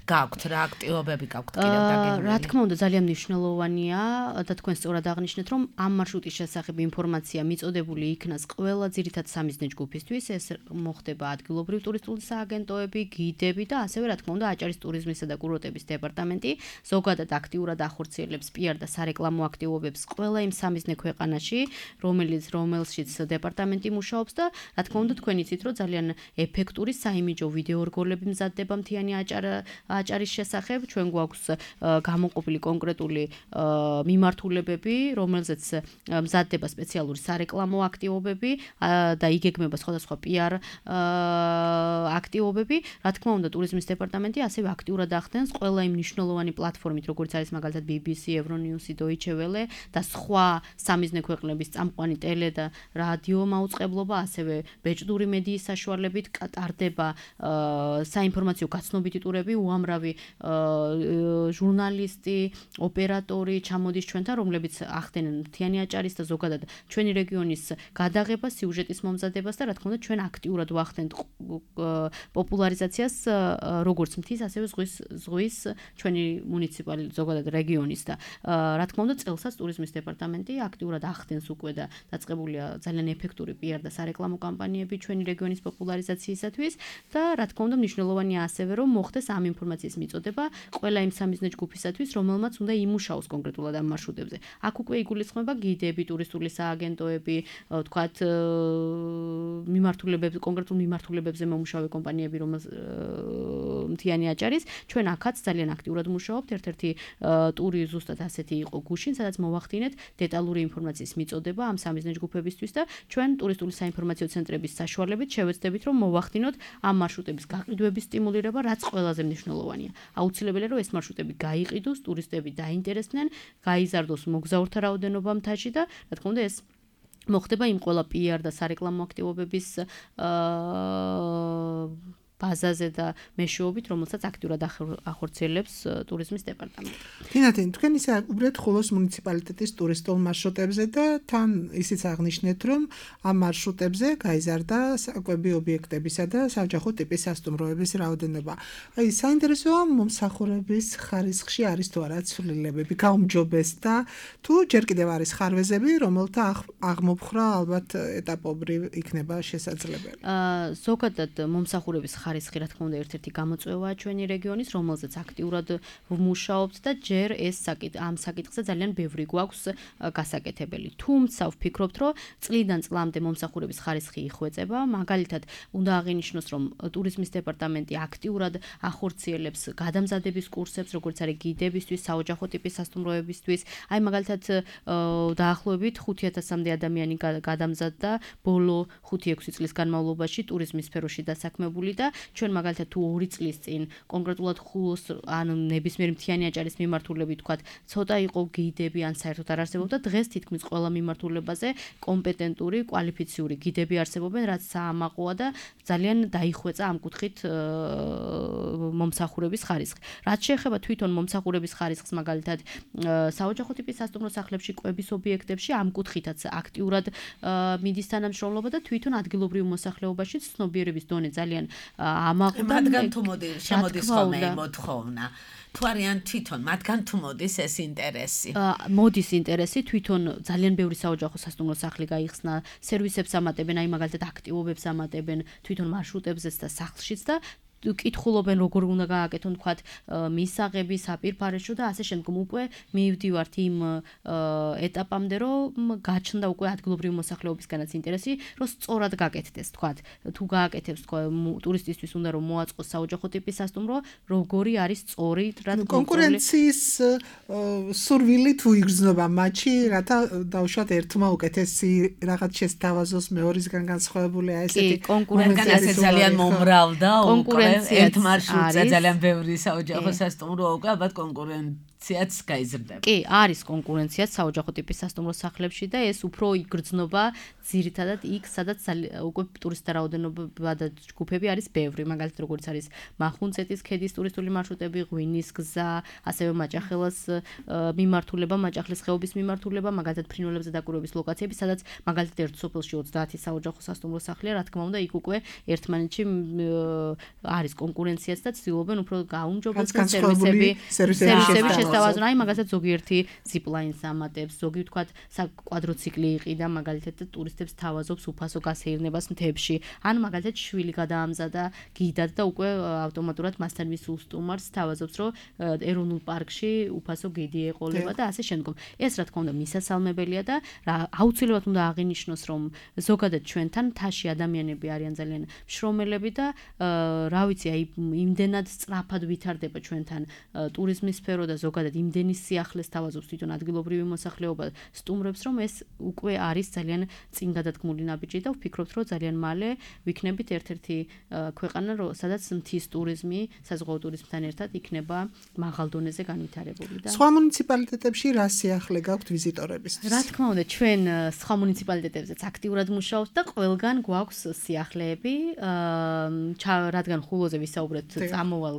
გაქვთ, რა აქტივობები გაქვთ კიდევ დაგეგმილი. რა თქმა უნდა ძალიან მნიშვნელოვანია და თქვენ სწორად აღნიშნეთ, რომ ამ მარშრუტის შესახებ ინფორმაცია მიწოდებული იქნას ყველა ძირითად სამიზნე ჯგუფისთვის, ეს მოხდება ადგილობრივ ტურისტული სააგენტოები, გიდები და ასევე რა თქმა უნდა აჭარის ტურიზმისა და კურორტების დეპარტამენტი ზოგადად აქტიურად ახორციელებს პიარ და სარეკლამო აქტივობებს ყველა იმ სამიზნე ქვეყანაში, რომელიც რომელშიც დეპარტამენტი მუშაობს და რა თქმა უნდა თქვენ იცით რომ ძალიან ეფექტური საიმიჯო ვიდეო რგოლები მზადდება მთიანი აჭარის შესახებ, ჩვენ გვაქვს გამოყოფილი კონკრეტული მიმართულებები, რომელზეც მზადდება სპეციალური სარეკლამო აქტივობები და იგეგმება სხვადასხვა პიარ აქტივობები. რა თქმა უნდა, ტურიზმის დეპარტამენტი ასევე აქტიურად ახდენს ყველა იმ მნიშვნელოვანი პლატფორმით, როგორც არის მაგალითად ბი ბი სი, ევრონიუსი, Deutsche Welle და სხვა სამიზნე ქვეყნების წამყვანი ტელე და რადიო მაუწყებლობა, ასევე ბეჭდური მედიის საშუალებით ტარდება საინფორმაციო გაცნობიტი ტურები, უამრავი ჟურნალისტი, ოპერატორი ჩამოდის ჩვენთან, რომლებიც ახდენენ მთიანი აჭარის და ზოგადად ჩვენი რეგიონის გადაღებას, სიუჟეტის მომზადებას და რა თქმა უნდა ჩვენ აქტიურად ვახდენთ პოპულარიზაციას როგორც მთის, ასევე ზღვის ზღვის ჩვენი მუნიციპალი ზოგადად რეგიონის და რა თქმა უნდა წელსაც ტურიზმის დეპარტამენტი აქტიურად ახდენს უკვე და დაწყებულია ძალიან ეფექტური პიარ და სარეკლამო კამპანიები ჩვენი რეგიონის პოპულარიზაციისათვის და რა თქმა უნდა მნიშვნელოვანია ასევე რომ მოხდეს ამ ინფორმაციის მიწოდება ყველა იმ სამიზნე ჯგუფისათვის, რომელმაც უნდა იმუშაოს კონკრეტულად ამ მარშრუტებზე. აქ უკვე იგულისხმება გიდები, ტურისტული სააგენტოები, თქვათ მიმართულებებზე, კონკრეტულ მიმართულებებზე მომუშავე კომპანიები, რომელიც მთიანი აჭარის, ჩვენ აქაც ძალიან აქტიურად მუშაობთ. ერთ-ერთი ტური ზუსტად ასეთი იყო გუშინ, სადაც მოვახდინეთ დეტალური ინფორმაციის მიწოდება ამ სამიზნე ჯგუფებისთვის და ჩვენ ტურისტული საინფორმაციო ცენტრების საშუალებით შევეცდებით რომ მოვახდინოთ ამ მარშრუტების გაყიდვების სტიმულირება, რაც ყველაზე მნიშვნელოვანია. აუცილებელია რომ ეს მარშრუტები გაიყიდოს, ტურისტები დაინტერესდნენ, გაიზარდოს მოგზაურთა რაოდენობა მთაში და რა თქმა უნდა ეს მოხდება იმ ყველა პიარ და სარეკლამო აქტივობების ბაზაზე და მეშვეობით, რომელსაც აქტიურად ახორციელებს ტურიზმის დეპარტამენტი. თინათინ, თქვენ ისე უბრალოდ ხულოს მუნიციპალიტეტის ტურისტულ მარშრუტებზე და თან ისიც აღნიშნეთ, რომ ამ მარშრუტებზე გაიზარდა საკვები ობიექტებისა და საოჯახო ტიპის სასტუმროების რაოდენობა. აი, საინტერესოა მომსახურების ხარისხში არის თუ არა ცვლილებები, გაუმჯობესდა თუ ჯერ კიდევ არის ხარვეზები, რომელთა აღმოფხრა ალბათ ეტაპობრივ იქნება შესაძლებელი. აა, ზოგადად მომსახურების ხარისხი რა თქმა უნდა ერთ-ერთი გამოწვევაა ჩვენი რეგიონის, რომელზეც აქტიურად ვმუშაობთ და ჯერ ეს ამ საკითხზე ძალიან ბევრი გვაქვს გასაკეთებელი. თუმცა ვფიქრობთ, რომ წლიდან წლამდე მომსახურების ხარისხი იხვეწება. მაგალითად, უნდა აღინიშნოს, რომ ტურიზმის დეპარტამენტი აქტიურად ახორციელებს გადამზადების კურსებს, როგორც არის გიდებისთვის, საოჯახო ტიპის სასტუმროებისთვის. აი მაგალითად, დაახლოებით ხუთი ათასამდე ადამიანი გადამზადდა ბოლო ხუთი ექვსი წლის განმავლობაში ტურიზმის სფეროში დასაქმებული და ჩვენ მაგალითად თუ ორი წლის წინ კონკრეტულად ხულოს ან ნებისმიერ მთიანი აჭარის მიმართულებით თქვათ ცოტა იყო გიდები ან საერთოდ არ არსებობდა, დღეს თითქმის ყველა მიმართულებაზე კომპეტენტური, კვალიფიციური გიდები არსებობენ, რაც საამაყოა და ძალიან დაიხვეწა ამ კუთხით მომსახურების ხარისხი. რაც შეეხება თვითონ მომსახურების ხარისხს, მაგალითად საოჯახო ტიპის სასტუმრო სახლებში, კვების ობიექტებში ამ კუთხითაც აქტიურად მიდის თანამშრომლობა და თვითონ ადგილობრივ მოსახლეობაში ცნობიერების დონე ძალიან ამაყდა. მათგან თუ მოდი შემოდის ხოლმე მოთხოვნა. თუ არიან თვითონ მათგან თუ მოდის ეს ინტერესი? მოდის ინტერესი, თვითონ ძალიან ბევრი საოჯახო სასტუმრო სახლი გაიხსნა, სერვისებს ამატებენ, აი მაგალითად აქტივობებს ამატებენ თვითონ მარშრუტებზეც და სახლშიც და კითხულობენ როგორ უნდა გააკეთონ თქვათ მისაღები, საპირფარეშო და ასე შემდგომ უკვე მივდივართ იმ ეტაპამდე, რომ გაჩნდა უკვე ადგილობრივი მოსახლეობისგანაც ინტერესი, რომ სწორად გაკეთდეს თქვათ. თუ გააკეთებს თქვა ტურისტისთვის უნდა რომ მოაწყოს საოჯახო ტიპის სასტუმრო, როგორი არის სწორი, რა კონკურენციის სურვილი თუ იგრძნობა მათში, რათა დავუშვათ ერთმა უკეთესი რაღაც შესთავაზოს მეორისგან განსხვავებულია ესეთი კონკურენცია ძალიან მომრავლდა უკვე ერთ მარშრუტზე ძალიან ბევრი საოჯახო სასტუმრო უკვე ალბათ კონკურენციაც გაიზრდება. კი, არის კონკურენცია საოჯახო ტიპის სასტუმრო სახლებში და ეს უფრო იგრძნობა ძირითადად იქ, სადაც უკვე ტურისტთა რაოდენობა და ჯგუფები არის ბევრი, მაგალითად როგორც არის მახუნცეთის ქედის ტურისტული მარშრუტები, ღვინის გზა, ასევე მაჭახელას მიმართულება, მაჭახლის ხეობის მიმართულება, მაგალითად ფრინველებზე დაკვირვების ლოკაციები, სადაც მაგალითად ერთ სოფელში ოცდაათი საოჯახო სასტუმრო სახლია, რა თქმა უნდა, იქ უკვე ერთმანეთში არის კონკურენციაც და ცდილობენ უფრო გაუმჯობესდეს სერვისები, სერვისების სთავაზობ, აი მაგასაც ზოგიერთი ზიპლაინს ამატებს, ზოგი ვთქვათ საკვადროციკლი იყიდა მაგალითად და ტურისტებს თავაზობს უფასო გასეირნებას მთებში. ან მაგალითად შვილი გადაამზადა გიდად და უკვე ავტომატურად მასთან მისულ სტუმარს თავაზობს, რომ ეროვნულ პარკში უფასო გიდი ეყოლება და ასე შემდგომ. ეს რა თქმა უნდა მისასალმებელია და აუცილებლად უნდა აღინიშნოს, რომ ზოგადად ჩვენთან თაში ადამიანები არიან ძალიან მშრომელები და რა ვიცი, აი იმდენად სწრაფად ვითარდება ჩვენთან ტურიზმის სფერო და ზოგადად იმდენი სიახლეს თავაზობს თვითონ ადგილობრივი მოსახლეობა სტუმრებს, რომ ეს უკვე არის ძალიან წინ გადადგმული ნაბიჯი და ვფიქრობთ, რომ ძალიან მალე ვიქნებით ერთ-ერთი ქვეყანა, სადაც მთის ტურიზმი საზღვაო ტურიზმთან ერთად იქნება მაღალ დონეზე განვითარებული და სხვა მუნიციპალიტეტებში რა სიახლე გაქვთ ვიზიტორებისთვის? რა თქმა უნდა, ჩვენ სხვა მუნიციპალიტეტებზეც აქტიურად მუშაობთ და ყველგან გვაქვს სიახლეები, რადგან ხულოზე ვისაუბრეთ წამოვალ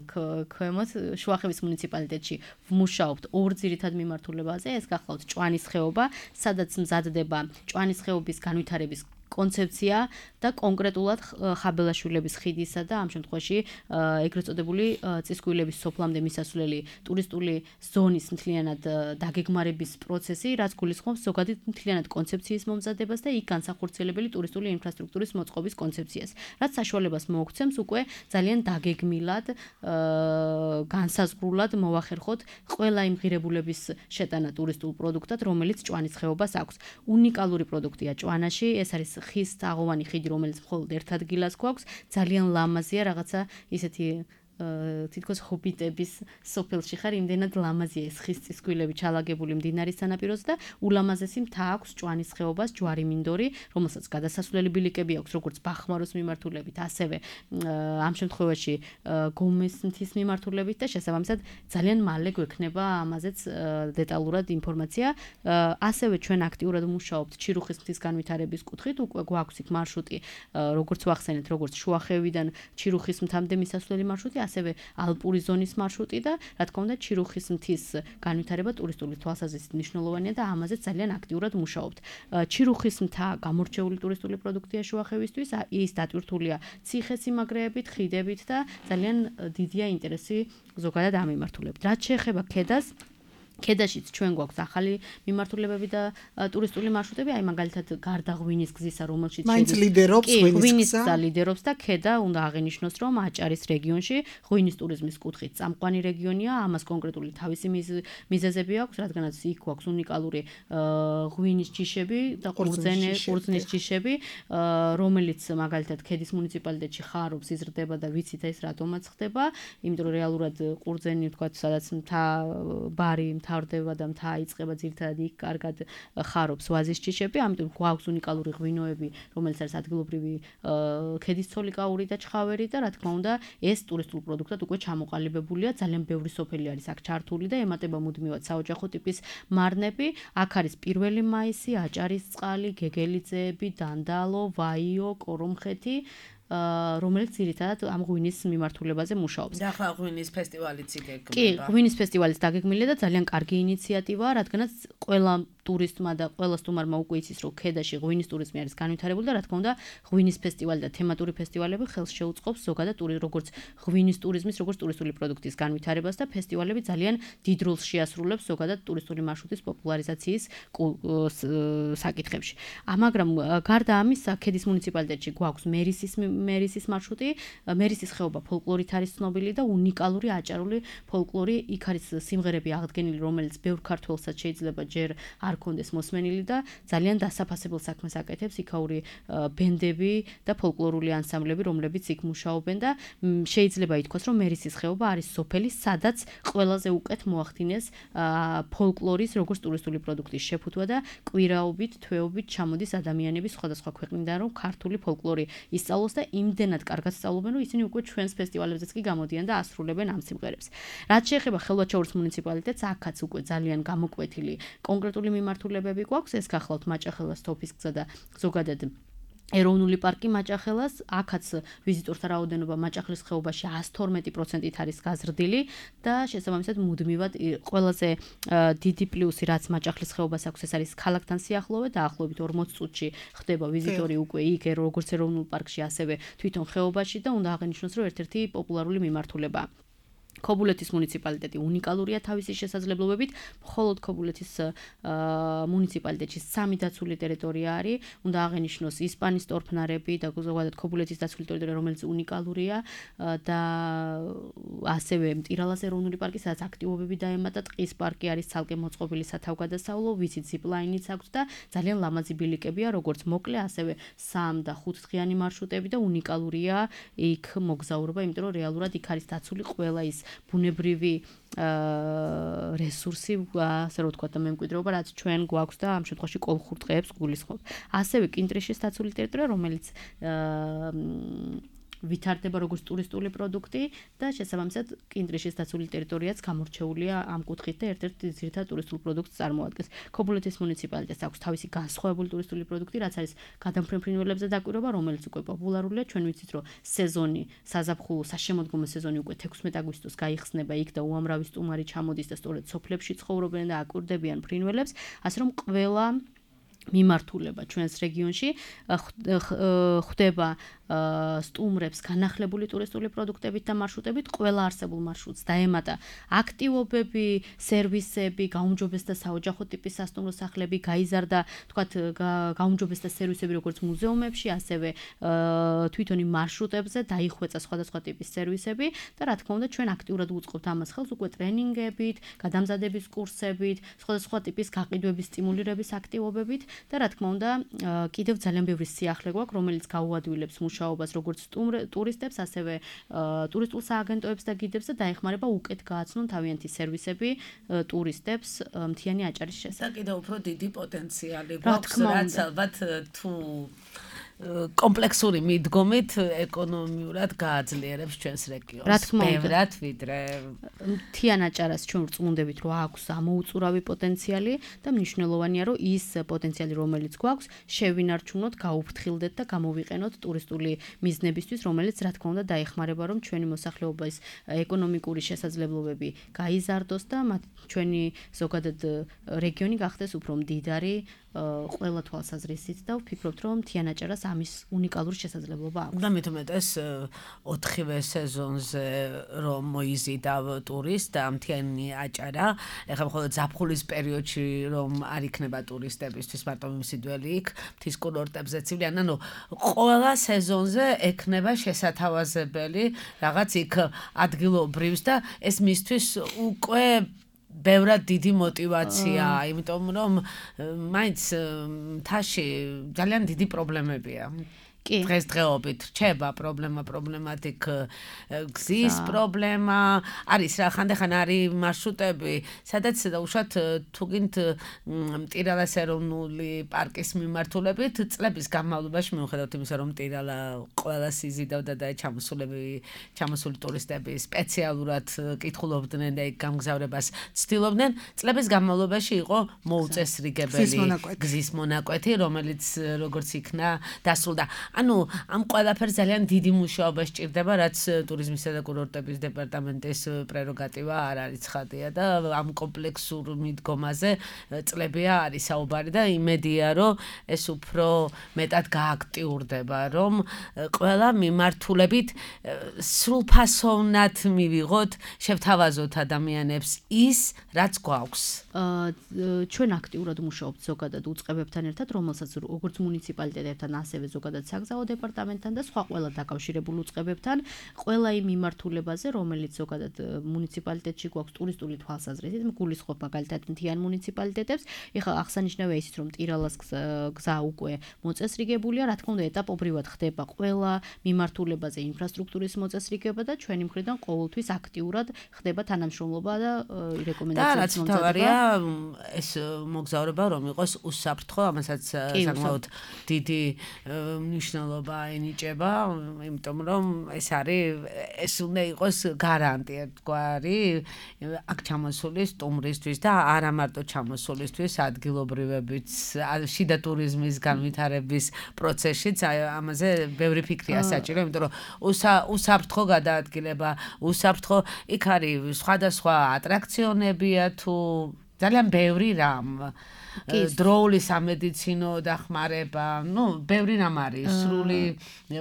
ქვემოთ, შუახევის მუნიციპალიტეტში ვმუშაობთ ორ ძირითად მიმართულებაზე, ეს გახლავთ ჭვანის ხეობა, სადაც მზადდება ჭვანის ხეობის განვითარების კონცეფცია და კონკრეტულად ხაბელაშვილების ხიდისა და ამ შემთხვევაში ეგრეთ წოდებული წისქვილების სოფლამდე მისასვლელი ტურისტული ზონის მთლიანად დაგეგმარების პროცესი, რაც გულისხმობს ზოგადად მთლიანად კონცეფციის მომზადებას და იქ განსახორციელებელი ტურისტული ინფრასტრუქტურის მოწყობის კონცეფციას, რაც საშუალებას მოუქცემს უკვე ძალიან დაგეგმილად, განსაზღვრულად მოვახერხოთ ყველა იმ ღირებულების შეტანა ტურისტულ პროდუქტად, რომელიც ჭვანის ხეობას აქვს. უნიკალური პროდუქტია ჭვანაში, ეს არის ხის თაღოვანი ხიდი, რომელიც მხოლოდ ერთ ადგილას გვაქვს, ძალიან ლამაზია, რაღაცა ისეთი თითქოს ჰობიტების სოფელში ხარ, იმდენად ლამაზია ეს ხის წისქვილები ჩალაგებული მდინარის სანაპიროზე და ულამაზესი მთა აქვს ჭვანის ხეობას, ჯვარი მინდორი, რომელსაც გადასასვლელი ბილიკები აქვს, როგორც ბახმაროს მიმართულებით, ასევე ამ შემთხვევაში გომეს მთის მიმართულებით და შესაბამისად ძალიან მალე გვექნება ამაზეც დეტალურად ინფორმაცია. ასევე ჩვენ აქტიურად მუშაობთ ჩირუხის მთის განვითარების კუთხით, უკვე გვაქვს იქ მარშრუტი, როგორც ვახსენეთ, როგორც შუახევიდან ჩირუხის მთამდე მისასვლელი მარშრუტი, ასევე ალპური ზონის მარშრუტი და რა თქმა უნდა ჩირუხის მთის განვითარება ტურისტული თვალსაზრისით მნიშვნელოვანია და ამაზე ძალიან აქტიურად მუშაობთ. ჩირუხის მთა გამორჩეული ტურისტული პროდუქტია შუახევისთვის, ის დატვირთულია ციხესიმაგრეებით, ხიდებით და ძალიან დიდია ინტერესი ზოგადად ამ მიმართულებით. რაც შეეხება ქედას, ქედაშიც ჩვენ გვაქვს ახალი მიმართულებები და ტურისტული მარშრუტები, აი მაგალითად გარდა ღვინის გზისა, რომელშიც მაინც ლიდერობს ღვინის გზა ლიდერობს და ქედა უნდა აღინიშნოს, რომ აჭარის რეგიონში ღვინის ტურიზმის კუთხით წამყვანი რეგიონია, ამას კონკრეტული თავისი მიზეზები აქვს, რადგანაც იქ გვაქვს უნიკალური ღვინის ჯიშები და ყურძენი, ყურძნის ჯიშები, რომელიც მაგალითად ქედის მუნიციპალიტეტში ხარობს, იზრდება და ვიცით ეს რატომაც ხდება, იმიტომ რომ რეალურად ყურძენი ვთქვათ, სადაც მთა ბარი მთავრდება და მთა აიწყება ძირითადად იქ კარგად ხარობს ვაზის ჯიშები, ამიტომ გვაქვს უნიკალური ღვინოები, რომელიც არის ადგილობრივი ქედის ცოლიკაური და ჩხავერი და რა თქმა უნდა, ეს ტურისტულ პროდუქტად უკვე ჩამოყალიბებულია, ძალიან ბევრი სოფელი არის აქ ჩართული და ემატება მუდმივად საოჯახო ტიპის მარნები. აქ არის პირველი მაისი, აჭარის წყალი, გეგელიძეები, დანდალო, ვაიო, კორომხეთი, რომელიც ძირითადად ამ ღვინის მიმართულებაზე მუშაობს. და ახლა ღვინის ფესტივალიც იგეგმება. კი, ღვინის ფესტივალიც დაგეგმილია და ძალიან კარგი ინიციატივაა, რადგანაც ყველა ტურისტმა და ყველა სტუმარმა უკვე იცის, რომ ქედაში ღვინის ტურიზმი არის განვითარებული და რა თქმა უნდა, ღვინის ფესტივალი და თემატური ფესტივალები ხელს შეუწყობს ზოგადად როგორც ღვინის ტურიზმის, როგორც ტურისტული პროდუქტის განვითარებას და ფესტივალები ძალიან დიდ როლს შეასრულებს ზოგადად ტურისტული მარშრუტის პოპულარიზაციის საკითხებში. მაგრამ გარდა ამისა, ქედის მუნიციპალიტეტში გვაქვს მერისის მერისის მარშრუტი, მერისის ხეობა ფოლკლორით არის ცნობილი და უნიკალური აჭარული ფოლკლორი, იქ არის სიმღერები აღდგენილი, რომელიც ბევრ ქართველსაც შეიძლება ჯერ არ კონდეს მოსმენილი და ძალიან დასაფასებელ საქმეს აკეთებს იქაური ბენდები და ფოლკლორული ანსამბლები, რომლებიც იქ მუშაობენ და შეიძლება ითქვას, რომ მერისის ხეობა არის სოფელი, სადაც ყველაზე უკეთ მოახდინეს ფოლკლორის როგორც ტურისტული პროდუქტის შეფუთვა და კვირაობით, თვეობით ჩამოდის ადამიანები სხვადასხვა ქვეყნიდან, რომ ქართული ფოლკლორი ისწავლოს და იმდენად კარგად სწავლობენ, რომ ისინი უკვე ჩვენს ფესტივალებზეც კი გამოდიან და ასრულებენ ამ სიმღერებს. რაც შეეხება ხელვაჩაურის მუნიციპალიტეტს, აქაც უკვე ძალიან გამოკვეთილი კონკრეტული მიმართულებები გვაქვს, ეს გახლავთ მაჭახელას თოფის გზა და ზოგადად ეროვნული პარკი მაჭახელას, აქაც ვიზიტორთა რაოდენობა მაჭახლის ხეობაში εκατს თორმეტი პროცენტით არის გაზრდილი და შესაბამისად მუდმივად ყველაზე დიდი პლუსი, რაც მაჭახლის ხეობას აქვს, ეს არის ქალაქთან სიახლოვე, დაახლოებით ორმოც წუთში ხდება ვიზიტორი უკვე იქ, როგორც ეროვნულ პარკში, ასევე თვითონ ხეობაში და უნდა აღინიშნოს, რომ ერთ-ერთი პოპულარული მიმართულებაა. ქობულეთის მუნიციპალიტეტი უნიკალურია თავისი შესაძლებლობებით, მხოლოდ ქობულეთის მუნიციპალიტეტში სამი დაცული ტერიტორია არის, უნდა აღენიშნოს ისპანის ტორფნარები და ზოგადად ქობულეთის დაცული ტერიტორია, რომელიც უნიკალურია და ასევე მტირალას ეროვნული პარკი, სადაც აქტივობები დაემატა, ტყის პარკი არის ცალკე მოწყობილი სათავგადასავლო, ვიცით ზიპლაინიც აქვს და ძალიან ლამაზი ბილიკებია, როგორც მოკლე, ასევე სამ და ხუთ დღიანი მარშრუტები და უნიკალურია იქ მოგზაურობა, იმიტომ რომ რეალურად იქ არის დაცული ყველა ის ბუნებრივი რესურსი, ასე რომ ვთქვათ, და მემკვიდრეობა, რაც ჩვენ გვაქვს და ამ შემთხვევაში კოლხურ ტყეებს გულისხმობ. ასევე კინტრიშის დაცული ტერიტორია, რომელიც ვითარდება როგორც ტურისტული პროდუქტი და შესაბამისად კინტრიშის დაცული ტერიტორიაც გამორჩეულია ამ კუთხით და ერთ-ერთ ძირითად ტურისტულ პროდუქტს წარმოადგენს. ქობულეთის მუნიციპალიტეტს აქვს თავისი განსხვავებული ტურისტული პროდუქტი, რაც არის გადამფრენ ფრინველებზე დაკვირვება, რომელიც უკვე პოპულარულია. ჩვენ ვიცით, რომ სეზონი, საზაფხულო, საშემოდგომო სეზონი უკვე თექვსმეტ აგვისტოს გაიხსნება იქ და უამრავი სტუმარი ჩამოდის და სწორედ სოფლებში ცხოვრობენ და აკვირდებიან ფრინველებს, ასე რომ ყველა მიმართულება ჩვენს რეგიონში ხდება სტუმრებს განახლებული ტურისტული პროდუქტებით და მარშრუტებით, ყველა არსებულ მარშრუტს დაემატა აქტივობები, სერვისები, გაუმჯობესდა საოჯახო ტიპის სასტუმრო სახლები, გაიზარდა, თქვათ, გაუმჯობესდა სერვისები როგორც მუზეუმებში, ასევე თვითონ იმ მარშრუტებზე დაიხვეწა სხვადასხვა ტიპის სერვისები და რა თქმა უნდა ჩვენ აქტიურად უწყობთ ამას ხელს უკვე ტრენინგებით, გადამზადების კურსებით, სხვადასხვა ტიპის გაყიდვების სტიმულირების აქტივობებით და რა თქმა უნდა კიდევ ძალიან ბევრი სიახლე გვაქვს, რომელიც გაუადვილებს მუშაობას როგორც ტურისტებს, ასევე ტურისტულ სააგენტოებს და გიდებს და დაეხმარება უკეთ გააცნონ თავიანთი სერვისები ტურისტებს მთიანი აჭარის შესახებ. და კიდევ უფრო დიდი პოტენციალი გვაქვს, რაც ალბათ თუ კომპლექსური მიდგომით ეკონომიურად გააძლიერებს ჩვენს რეგიონს. ბევრად ვიდრე მთიან აჭარას ჩვენ ვწმუნდებით, რომ აქვს ამოუწურავი პოტენციალი და მნიშვნელოვანია, რომ ის პოტენციალი, რომელიც გვაქვს, შევინარჩუნოთ, გაუფრთხილდეთ და გამოვიყენოთ ტურისტული მიზნებისთვის, რომელიც რა თქმა უნდა დაეხმარება, რომ ჩვენი მოსახლეობის ეკონომიკური შესაძლებლობები გაიზარდოს და ჩვენი ზოგადად რეგიონი გახდეს უფრო მდიდარი ყველა თვალსაზრისით და ვფიქრობთ, რომ მთიან აჭარას ამის უნიკალური შესაძლებლობა აქვს. და მით უმეტეს ოთხივე სეზონზე რომ მოიზიდავ ტურისტ და მთიანი აჭარა, ეხლა მხოლოდ ზაფხულის პერიოდში რომ არ იქნება ტურისტებისთვის მარტო მიმსიდველი იქ, მთის კურორტებზე ცივლიან, ანუ ყველა სეზონზე ექნება შესათავაზებელი რაღაც იქ ადგილობრივს და ეს მისთვის უკვე ბევრად დიდი мотиваციაა, იმიტომ რომ მაინც მთაში ძალიან დიდი პრობლემებია. დღესდღეობით რჩება პრობლემა, პრობლემატიკ გზის პრობლემა, არის რა ხანდახან არის მარშრუტები, სადაც უშუალოდ თუ გინდ მტირალას ეროვნული პარკის მიმართულებით წლების განმავლობაში მიუხედავად იმისა, რომ მტირალა ყველას იზიდავდა და ჩამოსულები, ჩამოსული ტურისტები სპეციალურად კითხულობდნენ და იქ გამგზავრებას ცდილობდნენ, წლების განმავლობაში იყო მოუწესრიგებელი გზის მონაკვეთი, რომელიც როგორც იქნა დასრულდა. ანუ ამ ყველაფერს ძალიან დიდი მუშაობა სჭირდება, რაც ტურიზმისა და კურორტების დეპარტამენტის პრეროგატივა არ არის ცხადია და ამ კომპლექსურ მიდგომაზე წლებია არის საუბარი და იმედია, რომ ეს უფრო მეტად გააქტიურდება, რომ ყველა მიმართულებით სრულფასოვნად მივიღოთ, შევთავაზოთ ადამიანებს ის, რაც გვაქვს. ჩვენ აქტიურად მუშაობთ ზოგადად უწყებებთან ერთად, რომელსაც როგორც მუნიციპალიტეტებთან, ასევე ზოგადად საგზაო დეპარტამენტთან და სხვა ყველა დაკავშირებულ უწყებებთან, ყველა იმ მიმართულებაზე, რომელიც ზოგადად მუნიციპალიტეტში გვაქვს ტურისტული თვალსაზრისით, გულისხმობ მაგალითად მთიან მუნიციპალიტეტებს. ეხლა აღსანიშნავია ისიც, რომ მტირალას გზა უკვე მოწესრიგებულია, რა თქმა უნდა, ეტაპობრივად ხდება ყველა მიმართულებაზე ინფრასტრუქტურის მოწესრიგება და ჩვენი მხრიდან ყოველთვის აქტიურად ხდება თანამშრომლობა და რეკომენდაციების მომზადება. ეს მოგზაურობა რომ იყოს უსაფრთხო, ამასაც საკმაოდ დიდი მნიშვნელობა ენიჭება, იმიტომ რომ ეს არის ეს უნდა იყოს გარანტი ერთგვარი აქ ჩამოსული სტუმრისთვის და არა მარტო ჩამოსულისთვის, ადგილობრივებიც, შიდა ტურიზმის განვითარების პროცესშიც ამაზე ბევრი ფიქრია საჭირო, იმიტომ რომ უსაფრთხო გადაადგილება, უსაფრთხო იქ არის სხვადასხვა ატრაქციონებია თუ ძალიან ბევრი რამ დროული სამედიცინო დახმარება, ну, ბევრი რამ არის, სრული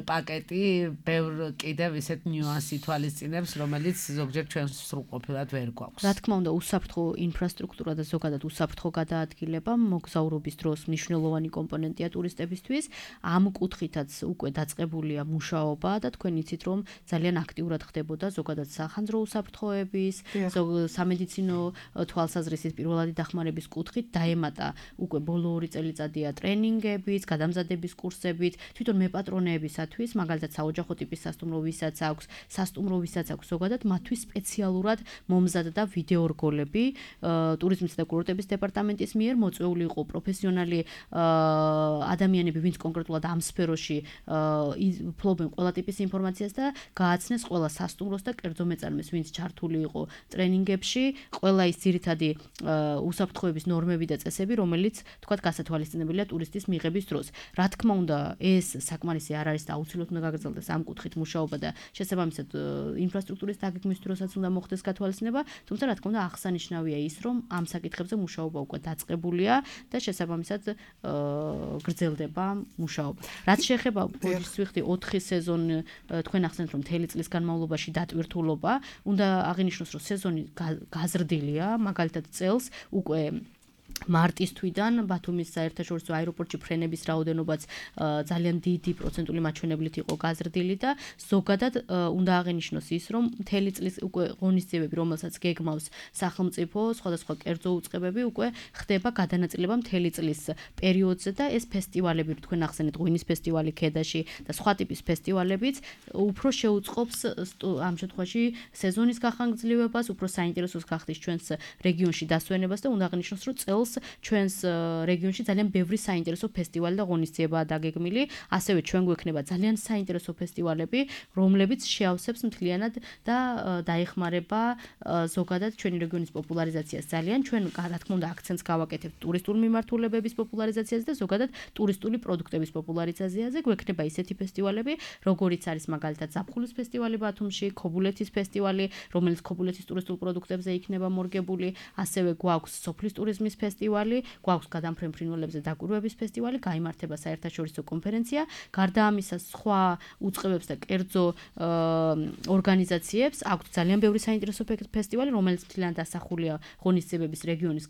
პაკეტი, ბევრ კიდევ ისეთ ნიუანსი თვალისწინებს, რომელიც ზოგჯერ ჩვენ სრულყოფილად ვერ გვაქვს. რა თქმა უნდა, უსაფრთხო ინფრასტრუქტურა და ზოგადად უსაფრთხო გადაადგილება მოგზაურობის დროს მნიშვნელოვანი კომპონენტია ტურისტებისთვის. ამ კუთხითაც უკვე დაწყებულია მუშაობა და თქვენ იცით, რომ ძალიან აქტიურად ხდებოდა ზოგადად სახანძრო უსაფრთხოების, სამედიცინო თვალსაზრისით პირველადი დახმარების კუთხით დაემატა უკვე ბოლო ორი წელიწადია ტრენინგებით, გადამზადების კურსებით, თვითონ მეპატრონეებისათვის, მაგალითად საოჯახო ტიპის სასტუმრო ვისაც აქვს, სასტუმრო ვისაც აქვს ზოგადად მათთვის სპეციალურად მომზადდა ვიდეორგოლები ტურიზმისა და კურორტების დეპარტამენტის მიერ მოწვეული იყო პროფესიონალი ადამიანები, ვინც კონკრეტულად ამ სფეროში ფლობენ ყველა ტიპის ინფორმაციას და გააცნეს ყველა სასტუმროს და კერძო მეწარმეს, ვინც ჩართული იყო ტრენინგებში, ყველა ის ძირითადი უსაფრთხოების ნორმები და წესები, რომელიც თქვათ გასათვალისწინებელია ტურისტის მიღების დროს. რა თქმა უნდა, ეს საკმარისი არ არის და აუცილებლად უნდა გაგრძელდეს ამ კუთხით მუშაობა და შესაბამისად ინფრასტრუქტურის დაგეგმვის დროსაც უნდა მოხდეს გათვალისწინება, თუმცა რა თქმა უნდა აღსანიშნავია ის, რომ ამ საკითხებზე მუშაობა უკვე დაწყებულია და შესაბამისად გრძელდება მუშაობა. რაც შეეხება ბოჯის ვიხდი ოთხი სეზონი, თქვენ ახსენეთ, რომ მთელი წლის განმავლობაში დატვირთულობა, უნდა აღინიშნოს, რომ სეზონი გაზრდილია, მაგალითად წელს უკვე მარტის თვიდან ბათუმის საერთაშორისო აეროპორტში ფრენების რაოდენობაც ძალიან დიდი პროცენტული მაჩვენებლით იყო გაზრდილი და ზოგადად უნდა აღინიშნოს ის, რომ მთელი წლის უკვე ღონისძიებები, რომელსაც გეგმავს სახელმწიფო, სხვადასხვა კერძო უწყებები უკვე ხდება გადანაწილება მთელი წლის პერიოდზე და ეს ფესტივალები, თქვენ ახსენეთ, ღვინის ფესტივალი ქედაში და სხვა ტიპის ფესტივალებიც უფრო შეუწყობს ამ შემთხვევაში სეზონის გახანგრძლივებას, უფრო საინტერესოს გახდის ჩვენს რეგიონში დასვენებას და უნდა აღინიშნოს, რომ წელს ჩვენს რეგიონში ძალიან ბევრი საინტერესო ფესტივალი და ღონისძიებაა დაგეგმილი, ასევე ჩვენ გვექნება ძალიან საინტერესო ფესტივალები, რომლებიც შეავსებს მთლიანად და დაეხმარება ზოგადად ჩვენი რეგიონის პოპულარიზაციას. ძალიან ჩვენ რა თქმა უნდა აქცენტს გავაკეთებთ ტურისტული მიმართულებების პოპულარიზაციაზე და ზოგადად ტურისტული პროდუქტების პოპულარიზაციაზე. გვექნება ისეთი ფესტივალები, როგორიც არის მაგალითად ზაფხულის ფესტივალი ბათუმში, ქობულეთის ფესტივალი, რომელიც ქობულეთის ტურისტულ პროდუქტებზე იქნება მორგებული, ასევე გვაქვს სოფლის ტურიზმის ფესტივალი, გვაქვს გადამფრენ ფრინველებზე დაკვირვების ფესტივალი, გაიმართება საერთაშორისო კონფერენცია, გარდა ამისა სხვა უწყებებს და კერძო ორგანიზაციებს აქვთ ძალიან ბევრი საინტერესო ფესტივალი, რომელიც მთლიანად დასახულია ღონისძიებების რეგიონის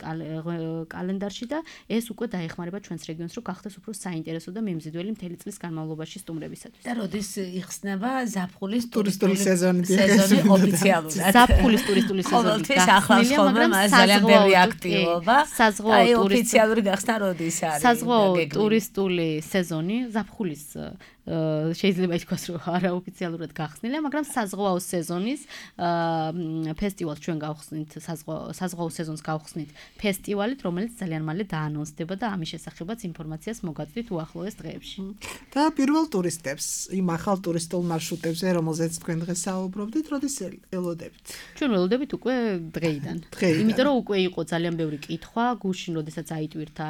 კალენდარში და ეს უკვე დაეხმარება ჩვენს რეგიონს, რომ გახდეს უფრო საინტერესო და მიმზიდველი მთელი წლის განმავლობაში სტუმრებისათვის. და როდის იხსნება ზაფხულის ტურისტული სეზონი ოფიციალურად? ზაფხულის ტურისტული სეზონი გახსნილია, მაგრამ ძალიან ბევრი აქტივობა. საზღვაო ოფიციალური გახსნა როდის არის? საზღვაო ტურისტული სეზონი ზაფხულის შეიძლება ითქვას, რომ არაოფიციალურად გახსნილია, მაგრამ საზღვაო სეზონის ფესტივალს ჩვენ გავხსნით, საზღვაო სეზონს გავხსნით ფესტივალით, რომელიც ძალიან მალე დაანონსდება და ამის შესახებაც ინფორმაციას მოგაწვით უახლოეს დღეებში. და პირველ ტურისტებს, იმ ახალ ტურისტულ მარშრუტებზე, რომელზეც თქვენ დღეს საუბრობდით, როდის ელოდებით? ჩვენ ველოდებით უკვე დღეიდან. იმიტომ რომ უკვე იყო ძალიან ბევრი კითხვა, გუშინ როდესაც აიტვირთა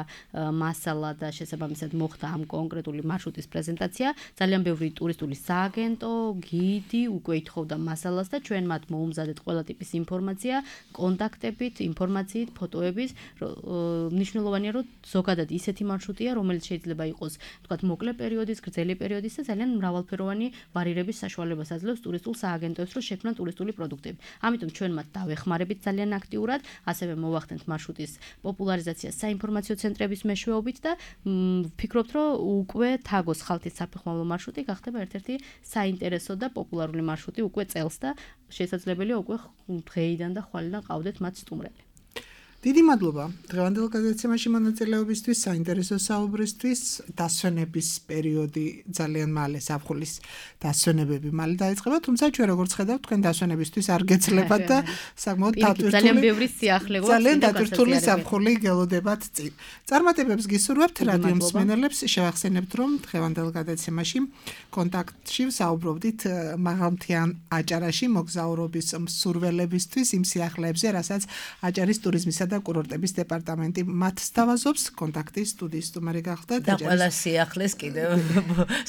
მასალა და შესაბამისად მოხდა ამ კონკრეტული მარშრუტის პრეზენტაცია. ძალიან ბევრი ტურისტული სააგენტო, გიდი უკვე ითხოვდა მასალას და ჩვენ მათ მოუმზადეთ ყველა ტიპის ინფორმაცია, კონტაქტებით, ინფორმაციით, ფოტოებით. მნიშვნელოვანია, რომ ზოგადად ისეთი მარშრუტია, რომელიც შეიძლება იყოს, თქვათ, მოკლე პერიოდის, გრძელი პერიოდის და ძალიან მრავალფეროვანი ვარირების საშუალებას აძლევს ტურისტულ სააგენტოებს, რომ შექმნან ტურისტული პროდუქტები. ამიტომ ჩვენ მათ დავეხმარებით ძალიან აქტიურად, ასევე მოვახდენთ მარშრუტის პოპულარიზაციას საინფორმაციო ცენტრების მეშვეობით და ვფიქრობთ, რომ უკვე თაგოს ხალთის საფეხმავლო მარშრუტი გახდება ერთ-ერთი საინტერესო და პოპულარული მარშრუტი უკვე წელს და შესაძლებელია უკვე დღეიდან და ხვალიდან ყავდეთ მათ სტუმრები. დიდი მადლობა დღევანდელ გადაცემაში მონაწილეობისთვის, საინტერესო საუბრისთვის. დასვენების პერიოდი ძალიან მალე, ზაფხულის დასვენებები მალე დაიწყება, თუმცა ჩვენ როგორც ხედავთ, თქვენ დასვენებისთვის არ გეცლებათ და საკმაოდ დატვირთული ძალიან ბევრი სიახლე გვაქვს, ძალიან დატვირთული ზაფხული გელოდებათ წინ. წარმატებებს გისურვებთ რადიო მსმენელებს, შევახსენებთ, რომ დღევანდელ გადაცემაში კონტაქტში ვსაუბრობდით მაღალმთიან აჭარაში მოგზაურობის მსურველებისთვის იმ სიახლეებზე, რასაც აჭარის ტურიზმისა და და კურორტების დეპარტამენტი. მათ სთავაზობს კონტაქტის სტუდიის სტუმარი გახდა და ყველა სიახლეს კიდევ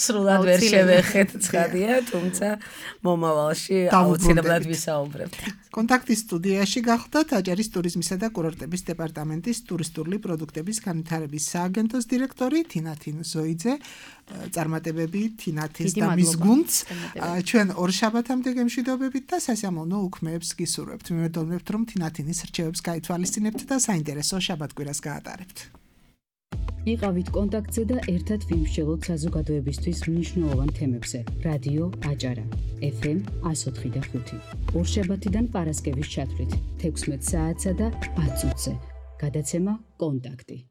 სრულად ვერ შევეხეთ ცხადია, თუმცა მომავალში აუცილებლად ვისაუბრებთ. კონტაქტის სტუდიაში გახდა აჭარის ტურიზმისა და კურორტების დეპარტამენტის ტურისტული პროდუქტების განვითარების სააგენტოს დირექტორი თინათინ ზოიძე. წარმატებები თინათის და მის გუნდს ჩვენ ორ შაბათამდე გემშვიდობებით და სასიამოვნო უქმეებს გისურვებთ. მივედოვნებთ, რომ თინათინის რჩევებს გაითვალისწინებთ და საინტერესო შაბათ-კვირას გაატარებთ. იყავით კონტაქტზე და ერთად ვიმსჯელოთ საზოგადოებისთვის მნიშვნელოვან თემებზე. რადიო აჭარა ეფ ემ εκατო ოთხი და ხუთი. ორშაბათიდან პარასკევის ჩათვლით თექვსმეტ საათსა და ათ წუთზე. გადაცემა კონტაქტი.